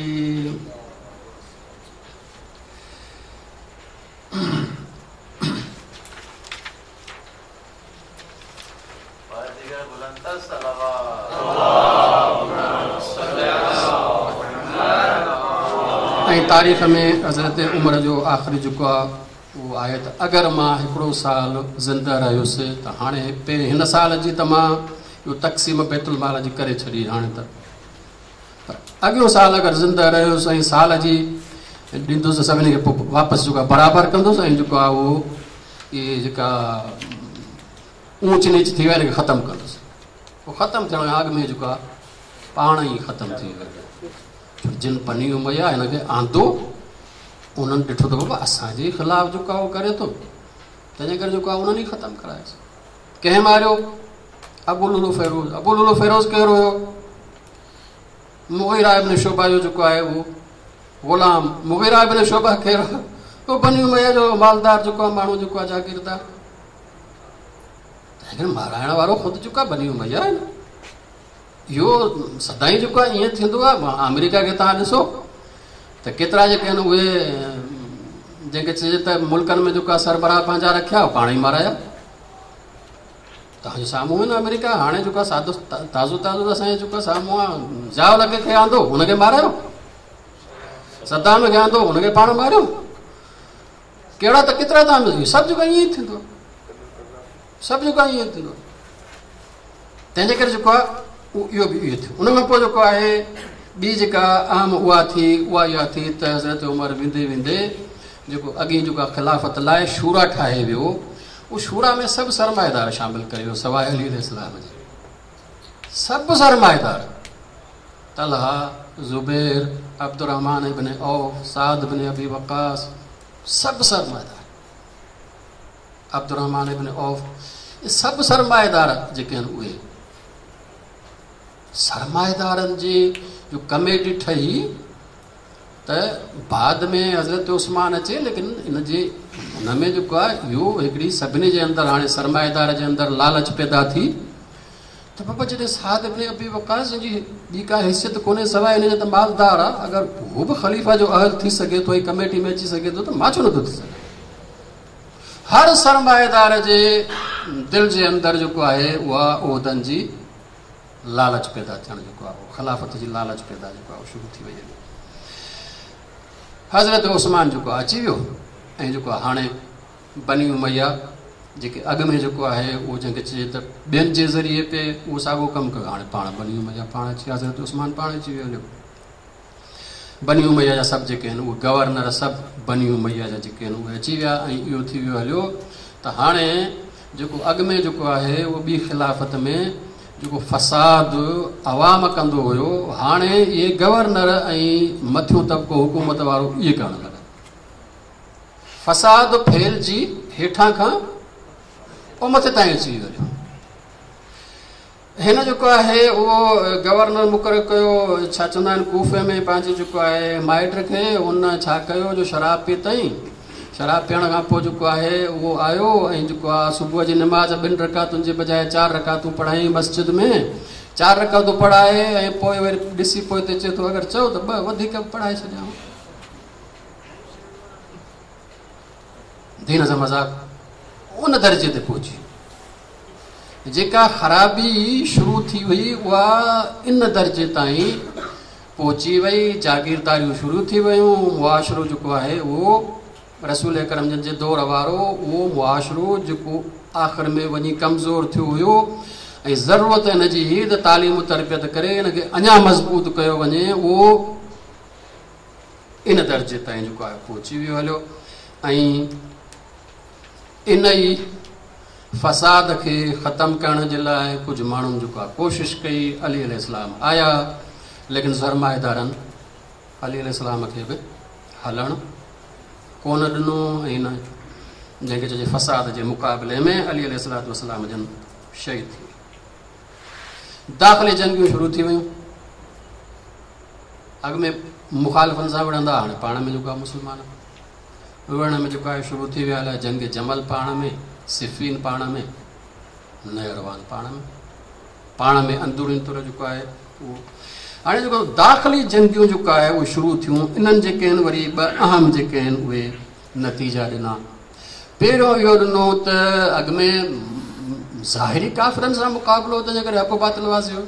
۽ تاريخ ۾ حضرت عمر جو آخري جيڪو آهي اهو آهي ته اگر مان هڪڙو سال زنده رهيس ته هاڻي پهرين هن سال جي ته مان اهو تقسيم بيت المال جي ڪري ڇڏي هاڻي ته پر اڳيون سال اگر زنده رهيس ۽ سال جي ڏيندس سڀني کي پوء واپس جيڪو آهي برابر ڪندس ۽ جيڪو آهي اهو اهي جيڪا اونچ نيچ ٿي ويا ان کي ختم ڪندس پوء ختم ٿيڻ کان اڳ ۾ جيڪو آهي پاڻ ئي ختم ٿي ويو جن بني اميه هن کي آندو انهن ڏٺو ته بابا اسان جي خلاف جيڪو آهي اهو ڪري ٿو، تنهنجي ڪري جيڪو آهي انهن ئي ختم ڪرايس. ڪنهن ماريو؟ ابو لؤلؤ فيروز. ابو لؤلؤ فيروز ڪير هيو؟ مغيره ابن شعبه جو جيڪو آهي اهو غلام. مغيره ابن شعبه ڪير هيو؟ اهو بني اميه جو مالدار جيڪو آهي ماڻهو جيڪو آهي جاگيردار. تنهن ڪري مارائڻ وارو خود جيڪو آهي بني اميه آهي نه. اهو سدائين جيڪو آهي ائين ٿيندو آهي. آمريڪا کي توهان ڏسو ته ڪيترا جيڪي آهن اهي جنهن کي چئجي ته ملڪن ۾ جيڪو آهي سربراهه پنهنجا رکيا پاڻ ئي مارايا. توهان جي سامهون آهي نه آمريڪا هاڻي جيڪو آهي سادو تازو تازو اسان جي جيڪو آهي سامهون آهي. ضياء الحق کي آندو هن کي مارايو، صدام کي آندو هن کي پاڻ ماريو. ڪهڙا ته ڪيترا توهان سڀ جيڪو ائين ئي ٿيندو، سڀ جيڪو آهي ائين ٿيندو. تنهن جي ڪري جيڪو آهي اهو به اهو ٿيو. ان کان پوء جيڪو آهي ٻي جيڪا اهم اها ٿي اها اها ٿي ته حضرت عمر ويندي ويندي جيڪو اڳين جيڪو آهي خلافت لاء شورا ٺاهي ويو، اهو شورا ۾ سڀ سرمائيدار شامل ڪري ويو سواء علي عليه السلام جي. سڀ سرمائيدار، طلحه، زبير، عبدالرحمان ابن عوف، سعد بن ابي وقاص، سڀ سرمائيدار، عبدالرحمان ابن عوف، سڀ سرمائيدار جيڪي آهن اهي سرمائيدارن جي جو ڪميٽي ٺهي ته بعد ۾ حضرت عثمان اچي، ليڪن ان جي ان ۾ جيڪو آهي اهو هڪڙي سڀني جي اندر هاڻي سرمائيدار جي اندر لالچ پيدا ٿي ته بابا جڏهن سعد ابن ابي وقاص جي ٻي ڪا حيثيت ڪونهي سواء ان جي ته مالدار آهي، اگر هو به خليفه جو اهل ٿي سگهي ٿو ۽ ڪميٽي ۾ اچي سگهي ٿو ته مان ڇو نٿو ٿي سگهان؟ هر سرمائيدار جي دل جي اندر جيڪو آهي اها عهدن جي لالچ پيدا ٿيڻ جيڪو آهي خلافت جي لالچ پيدا جيڪو آهي شروع ٿي وئي. حضرت عثمان جيڪو آهي اچي ويو ۽ جيڪو آهي هاڻي بني اميه جيڪي اڳ ۾ جيڪو آهي اهو جنهن کي چئجي ته ٻين جي ذريعي پي اهو ساڳو ڪم ڪيو، هاڻي پاڻ بني اميه پاڻ اچي حضرت عثمان پاڻ اچي ويو هليو. بني اميه جا سڀ جيڪي آهن اهي گورنر سڀ بني اميه جا جيڪي آهن اهي اچي ويا ۽ اهو ٿي ويو هليو ته هاڻي جيڪو اڳ ۾ جيڪو آهي اهو ٻي خلافت ۾ جيڪو فساد عوام ڪندو هيو هاڻي اهي گورنر ۽ مٿيون طبقو حڪومت وارو اهي ڪرڻ لڳا. فساد ڦهلجي هيٺان کان پوء مٿي تائين اچي ويو هليو. هن جيڪو آهي اهو گورنر مقرر ڪيو، ڇا چوندا آهن ڪوفي ۾ پنهنجي جيڪو آهي مائٽ کي، هن ڇا ڪيو جو شراب پيتائين، شراب پيئڻ کان پوء جيڪو آهي اهو آيو ۽ جيڪو آهي صبح جي نماز 2 رڪعتن جي بجاء 4 رڪعتون پڙهائين مسجد ۾، 4 رڪعتون پڙهائي ۽ پوء وري ڏسي پوئتي چئي ٿو اگر چئو ته 2 وڌيڪ به پڙهائي ڇڏيان. دين سان مذاق ان درجي تي پهچي. جيڪا خرابي شروع ٿي هئي اها ان درجي تائين پهچي وئي، جاگيرداريون شروع ٿي ويون، معاشرو جيڪو آهي اهو رسول اڪرم جن جي دور وارو اهو معاشرو جيڪو آخر ۾ وڃي ڪمزور ٿيو هيو ۽ ضرورت ان جي هئي ته تعليم و تربيت ڪري ان کي اڃا مضبوط ڪيو وڃي، اهو ان درجي تائين جيڪو آهي پهچي ويو هليو ۽ ان ئي فساد کي ختم ڪرڻ جي لاء ڪجهه ماڻهن جيڪو آهي ڪوشش ڪئي. علي عليه السلام آيا، ليڪن سرمائيدارن علي عليه السلام کي به هلڻ ڪونه ڏنو ۽ نه جنهن کي چئجي فساد جي مقابلي ۾ علي عليه السلام جن شهيد ٿي ويا. داخلي جنگيون شروع ٿي ويون. اڳ ۾ مخالفن سان وڙهندا، هاڻي پاڻ ۾ جيڪو آهي مسلمان وڙهڻ ۾ جيڪو آهي شروع ٿي ويا. الائي جنگ جمل پاڻ ۾، صفين پاڻ ۾، نهروان پاڻ ۾، پاڻ ۾ اندروني طور جيڪو آهي اهو هاڻي جيڪو داخلي جنگيون جيڪو آهي اهي شروع ٿيون. انهن جيڪي آهن وري ٻه اهم جيڪي آهن اهي نتيجا ڏنا. پهريون اهو ڏنو ته اڳ ۾ ظاهري ڪافرن سان مقابلو، تنهن جي ڪري حق و باطل واضح هو.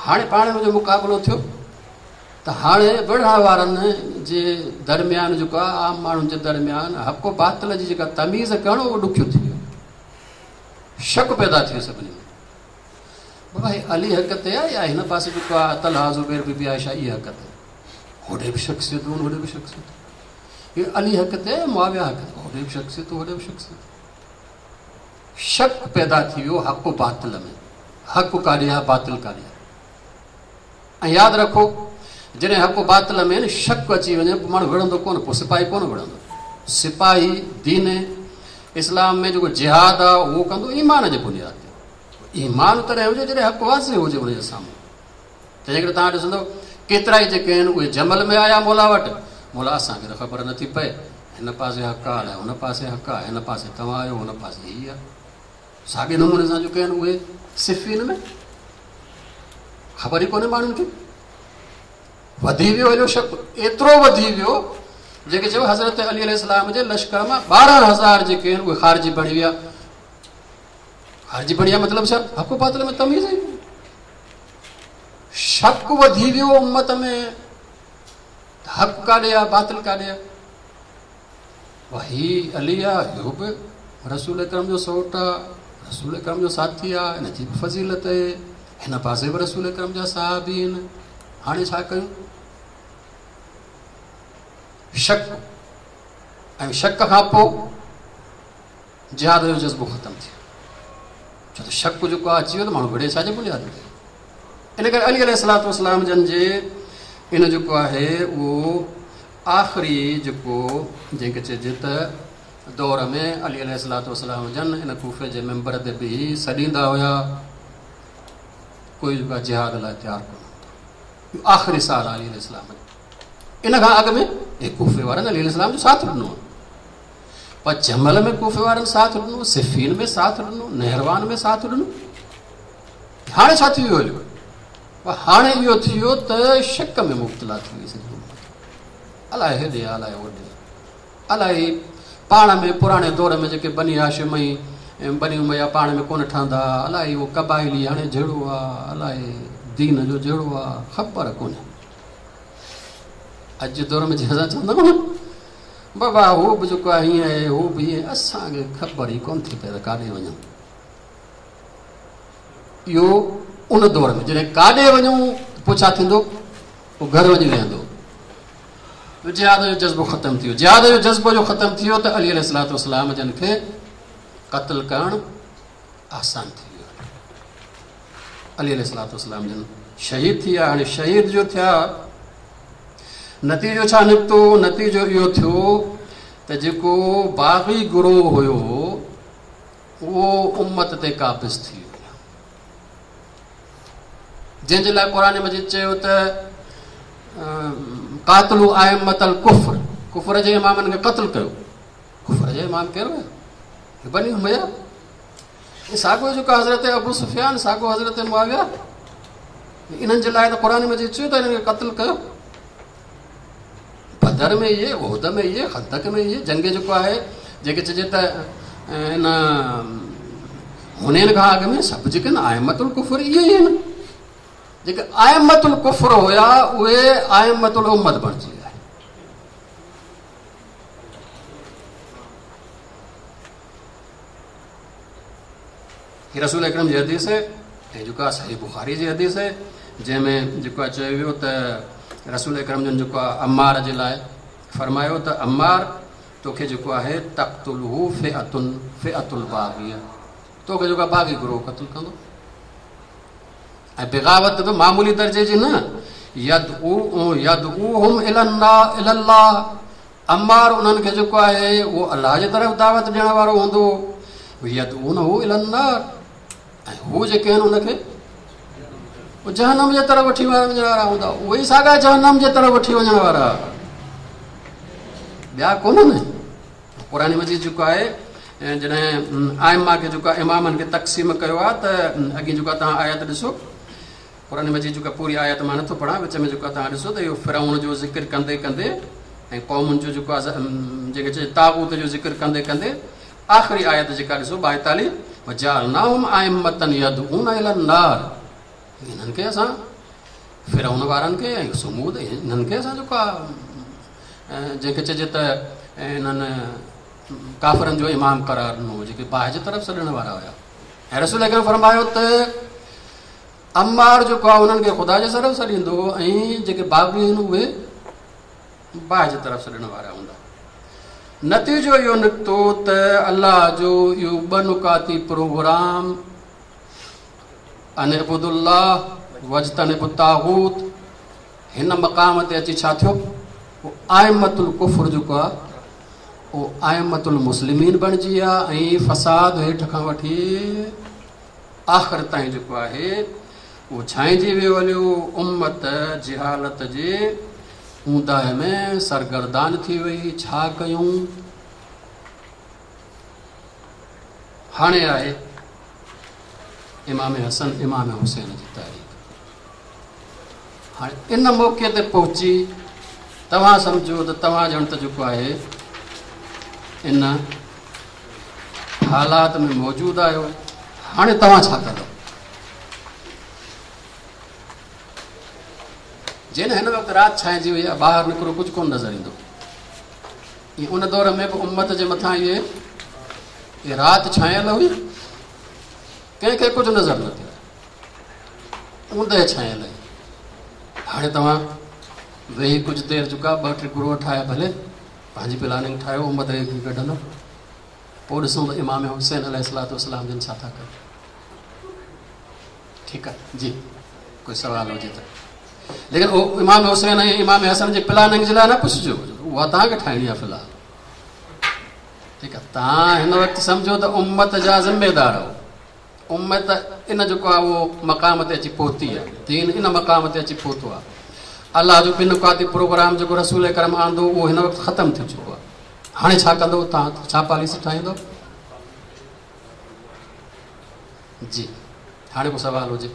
هاڻي پاڻ ۾ جو مقابلو ٿيو ته هاڻي وڙهڻ وارن جي درميان جيڪو آهي عام ماڻهن جي درميان حق و باطل جي جيڪا تميز ڪرڻ اهو ڏکيو ٿي ويو، شڪ پيدا ٿي ويو سڀني ۾ بابا هي علي حق تي آهي يا هن پاسي جيڪو آهي طلحه زبير بي بي عائشه اهي حق تي، هوڏي به شخصيتون هوڏي به شخصيتون، هي علي حق تي آهي معاويه حق تي، هوڏي به شخصيتون هوڏي به شخصيتون، شڪ پيدا ٿي ويو حق و باطل ۾، حق ڪاڏي آهي باطل ڪاڏي آهي. ۽ ياد رکو جڏهن حق و باطل ۾ نه شڪ اچي وڃي پوء ماڻهو وڙهندو ڪونه، پوء سپاهي ڪونه وڙهندو. سپاهي دين اسلام ۾ جيڪو جهاد آهي اهو ڪندو ايمان جي بنياد تي. ايمان تڏهن هجي جڏهن حق واضح هجي ان جي سامهون. تنهن ڪري توهان ڏسندو ڪيترا ئي جيڪي آهن اهي جمل ۾ آيا مولا وٽ، مولا اسان کي ته خبر نٿي پئي، هن پاسي حق آهي الائي هن پاسي حق آهي، هن پاسي توهان آهيو هن پاسي هي آهي. ساڳي نموني سان جيڪي آهن اهي صفين ۾ خبر ئي ڪونهي ماڻهن کي. وڌي ويو هليو شڪ ايترو وڌي ويو جيڪي چيو حضرت علي عليه السلام جي لشڪر مان 12000 جيڪي آهن اهي خارجي بڻي ويا. خارجي بڻي ويا مطلب ڇا؟ حق و باطل ۾ تميز ئي شڪ وڌي ويو امت ۾ حق ڪاڏي آ باطل ڪاڏي آ. هي علي آ، اهو به رسول اڪرم جو سئوٽ آ، رسول اڪرم جو ساٿي آ، هن جي به فضيلت آهي، هن پاسي به رسول اڪرم جا صحابي آهن، هاڻي ڇا ڪيون؟ شڪ ۽ شڪ کان پوء جهاد جو جذبو ختم ٿي ويو. ڇو ته شڪ جيڪو آ اچي ويو ته ماڻهو وڙهي ڇا جي بنياد تي؟ ان ڪري علي عليه الصلوة والسلام جن جي ان جيڪو آهي اهو آخري جيڪو جنهن کي چئجي ته دور ۾ علي عليه الصلوة والسلام جن ان ڪوفي جي منبر تي بيهي سڏيندا هيا، ڪوئي جيڪو آهي جهاد لاء تيار ڪونه هوندو. اهو آخري سال علي عليه السلام جو. ان کان اڳ ۾ هي ڪوفي وارن علي عليه السلام جو ساٿ ڏنو، پر جمل ۾ ڪوفي وارن ساٿ ڏنو، صفين ۾ ساٿ ڏنو، نهروان ۾ ساٿ ڏنو. هاڻي ڇا ٿي ويو هليو؟ هاڻي اهو ٿي ويو ته شڪ ۾ مبتلا ٿي وئي سڄي امت. الائي هيڏي آ، الائي هوڏي آ، الائي پاڻ ۾ پراڻي دور ۾ جيڪي بني هاشم ۽ بني اميه پاڻ ۾ ڪونه ٺهندا، الائي اهو قبائلي هاڻي جهيڙو آ، الائي دين جو جهيڙو آ، خبر ڪونهي. اڄ جي دور ۾ جيئن اسان چوندا آهيون نه بابا هو به جيڪو آهي هيئن آهي، هو به هيئن، اسان کي خبر ئي ڪونه ٿي پئي ته ڪاڏي وڃون. اهو ان دور ۾ جڏهن ڪاڏي وڃون پوء ڇا ٿيندو؟ پوء گهر وڃي ويهندو. جهاد جو جذبو ختم ٿي ويو. جهاد جو جذبو جو ختم ٿي ويو ته علي عليه الصلوة والسلام جن کي قتل ڪرڻ آسان ٿي ويو. علي عليه الصلوة والسلام جن شهيد ٿي ويا. هاڻي شهيد جو ٿيا نتيجو ڇا نڪتو؟ نتيجو اهو ٿيو ته جيڪو باغي گروهه هيو اهو امت تي قابض ٿي ويو، جنهن جي لاء قرآن مجيد چيو ته قاتلوا ائمة الڪفر، ڪفر جي امامن کي قتل ڪيو. ڪفر جي امام ڪير هيا؟ بني اميه. ساڳو جيڪو حضرت ابو سفيان، ساڳو حضرت معاويه، انهن جي لاء ته قرآن مجيد چيو ته انهن کي قتل ڪيو. بدر ۾ اهي، احد ۾ اهي، خندق ۾ اهي، جنگ جيڪو آهي جيڪي چئجي ته ان حنين کان اڳ ۾ سڀ جيڪي آهن ائمة الڪفر اهي ئي آهن. جيڪي ائمة الڪفر هيا اهي ائمة الامت بڻجي ويا. هي رسول اڪرم جي حديث آهي ۽ جيڪو آهي صحيح بخاري جي حديث آهي، جنهن ۾ جيڪو آهي چيو ويو ته رسول اڪرم جن جيڪو آهي عمار جي لاء فرمايو ته عمار توکي جيڪو آهي تقتله فئة فئة الباغية، توکي جيڪو آهي باغي گروهه قتل ڪندو. ۽ بغاوت به معمولي درجي جي نه، يدعوهم الى الله، عمار انهن کي جيڪو آهي اهو الله جي طرف دعوت ڏيڻ وارو هوندو، يدعونه الى النار، ۽ هو جيڪي آهن ان کي جهنم جي طرف وٺي وڃڻ وارا هوندا، اهي ئي ساڳا جهنم جي طرف وٺي وڃڻ وارا، ٻيا ڪونهن. قرآن مجيد جيڪو آهي جڏهن ائمه کي جيڪو آهي امامن کي تقسيم ڪيو آهي ته اڳي جيڪو آهي توهان آيت ڏسو، قرآن مجيد جيڪا پوري آيت مان نٿو پڙهان، وچ ۾ جيڪو آهي توهان ڏسو ته اهو فرعون جو ذڪر ڪندي ڪندي ۽ قومن جو جيڪو آهي جيڪي چئجي طاغوت جو ذڪر ڪندي ڪندي آخري آيت جيڪا ڏسو 42، وجعلناهم ائمة يدعون الى النار، انهن کي اسان فرعون وارن کي ۽ ثمود انهن کي اسان جيڪو آهي جنهن کي چئجي ته انهن ڪافرن جو امام قرار ڏنو، جيڪي باهه جي طرف سڏڻ وارا هيا. ۽ رسول اڪرم فرمايو ته عمار جيڪو آهي انهن کي خدا جي طرف سڏيندو ۽ جيڪي باغي آهن اهي باهه جي طرف سڏڻ وارا هوندا. نتيجو اهو نڪتو ته الله جو اهو ٻه نڪاتي پروگرام ان اعبدوا الله واجتنبوا الطاغوت، هن مقام تي اچي ڇا ٿيو؟ اهو ائمة الڪفر جيڪو آهي اهو ائمة المسلمين بڻجي ويا ۽ فساد هيٺ کان وٺي آخر تائين جيڪو آهي اهو ڇانئجي ويو هليو. امت جهالت جي اونداهي ۾ سرگردان ٿي وئي. ڇا ڪيون؟ هاڻي آهي امام حسن امام حسين جي تاريخ. هاڻي ان موقعي تي پهچي توهان سمجهو ته توهان ڄڻ ته جيڪو آهي ان حالات ۾ موجود آهيو. هاڻي توهان ڇا ڪندؤ؟ جنهن هن وقت رات ڇانئجي وئي آهي، ٻاهر نڪرو ڪجهه ڪونه نظر ايندو. ان دور ۾ به امت جي مٿان اهي رات ڇانيل هئي، ڪنهن کي ڪجهه نظر نه ٿيو، اوندهه ڇانيل هئي. هاڻي توهان ويهي ڪجهه دير جيڪا ٻه ٽي گروهه ٺاهي ڀلي پنهنجي پلاننگ ٺاهيو، امت کي ڪيئن ڪڍندو، پوء ڏسون ته امام حسين عليه الصلوة والسلام جن ڇا ٿا ڪن. ٺيڪ آهي جي، ڪوئي سوال هجي ته. ليڪن اهو امام حسين ۽ امام حسن جي پلاننگ جي لاء نه پڇجو، اها توهان کي ٺاهڻي آهي في الحال. ٺيڪ آهي، توهان هن وقت سمجهو ته امت جا ذميدار آهيو. امت ان جيڪو آهي اهو مقام تي اچي پهتي آهي، دين ان مقام تي اچي پهتو آهي. الله جو ٻن نڪاتي پروگرام جيڪو رسول اڪرم آندو اهو هن وقت ختم ٿي چڪو آهي. هاڻي ڇا ڪندو توهان؟ ڇا پاليسي ٺاهيندو؟ جي هاڻي ڪو سوال هجي.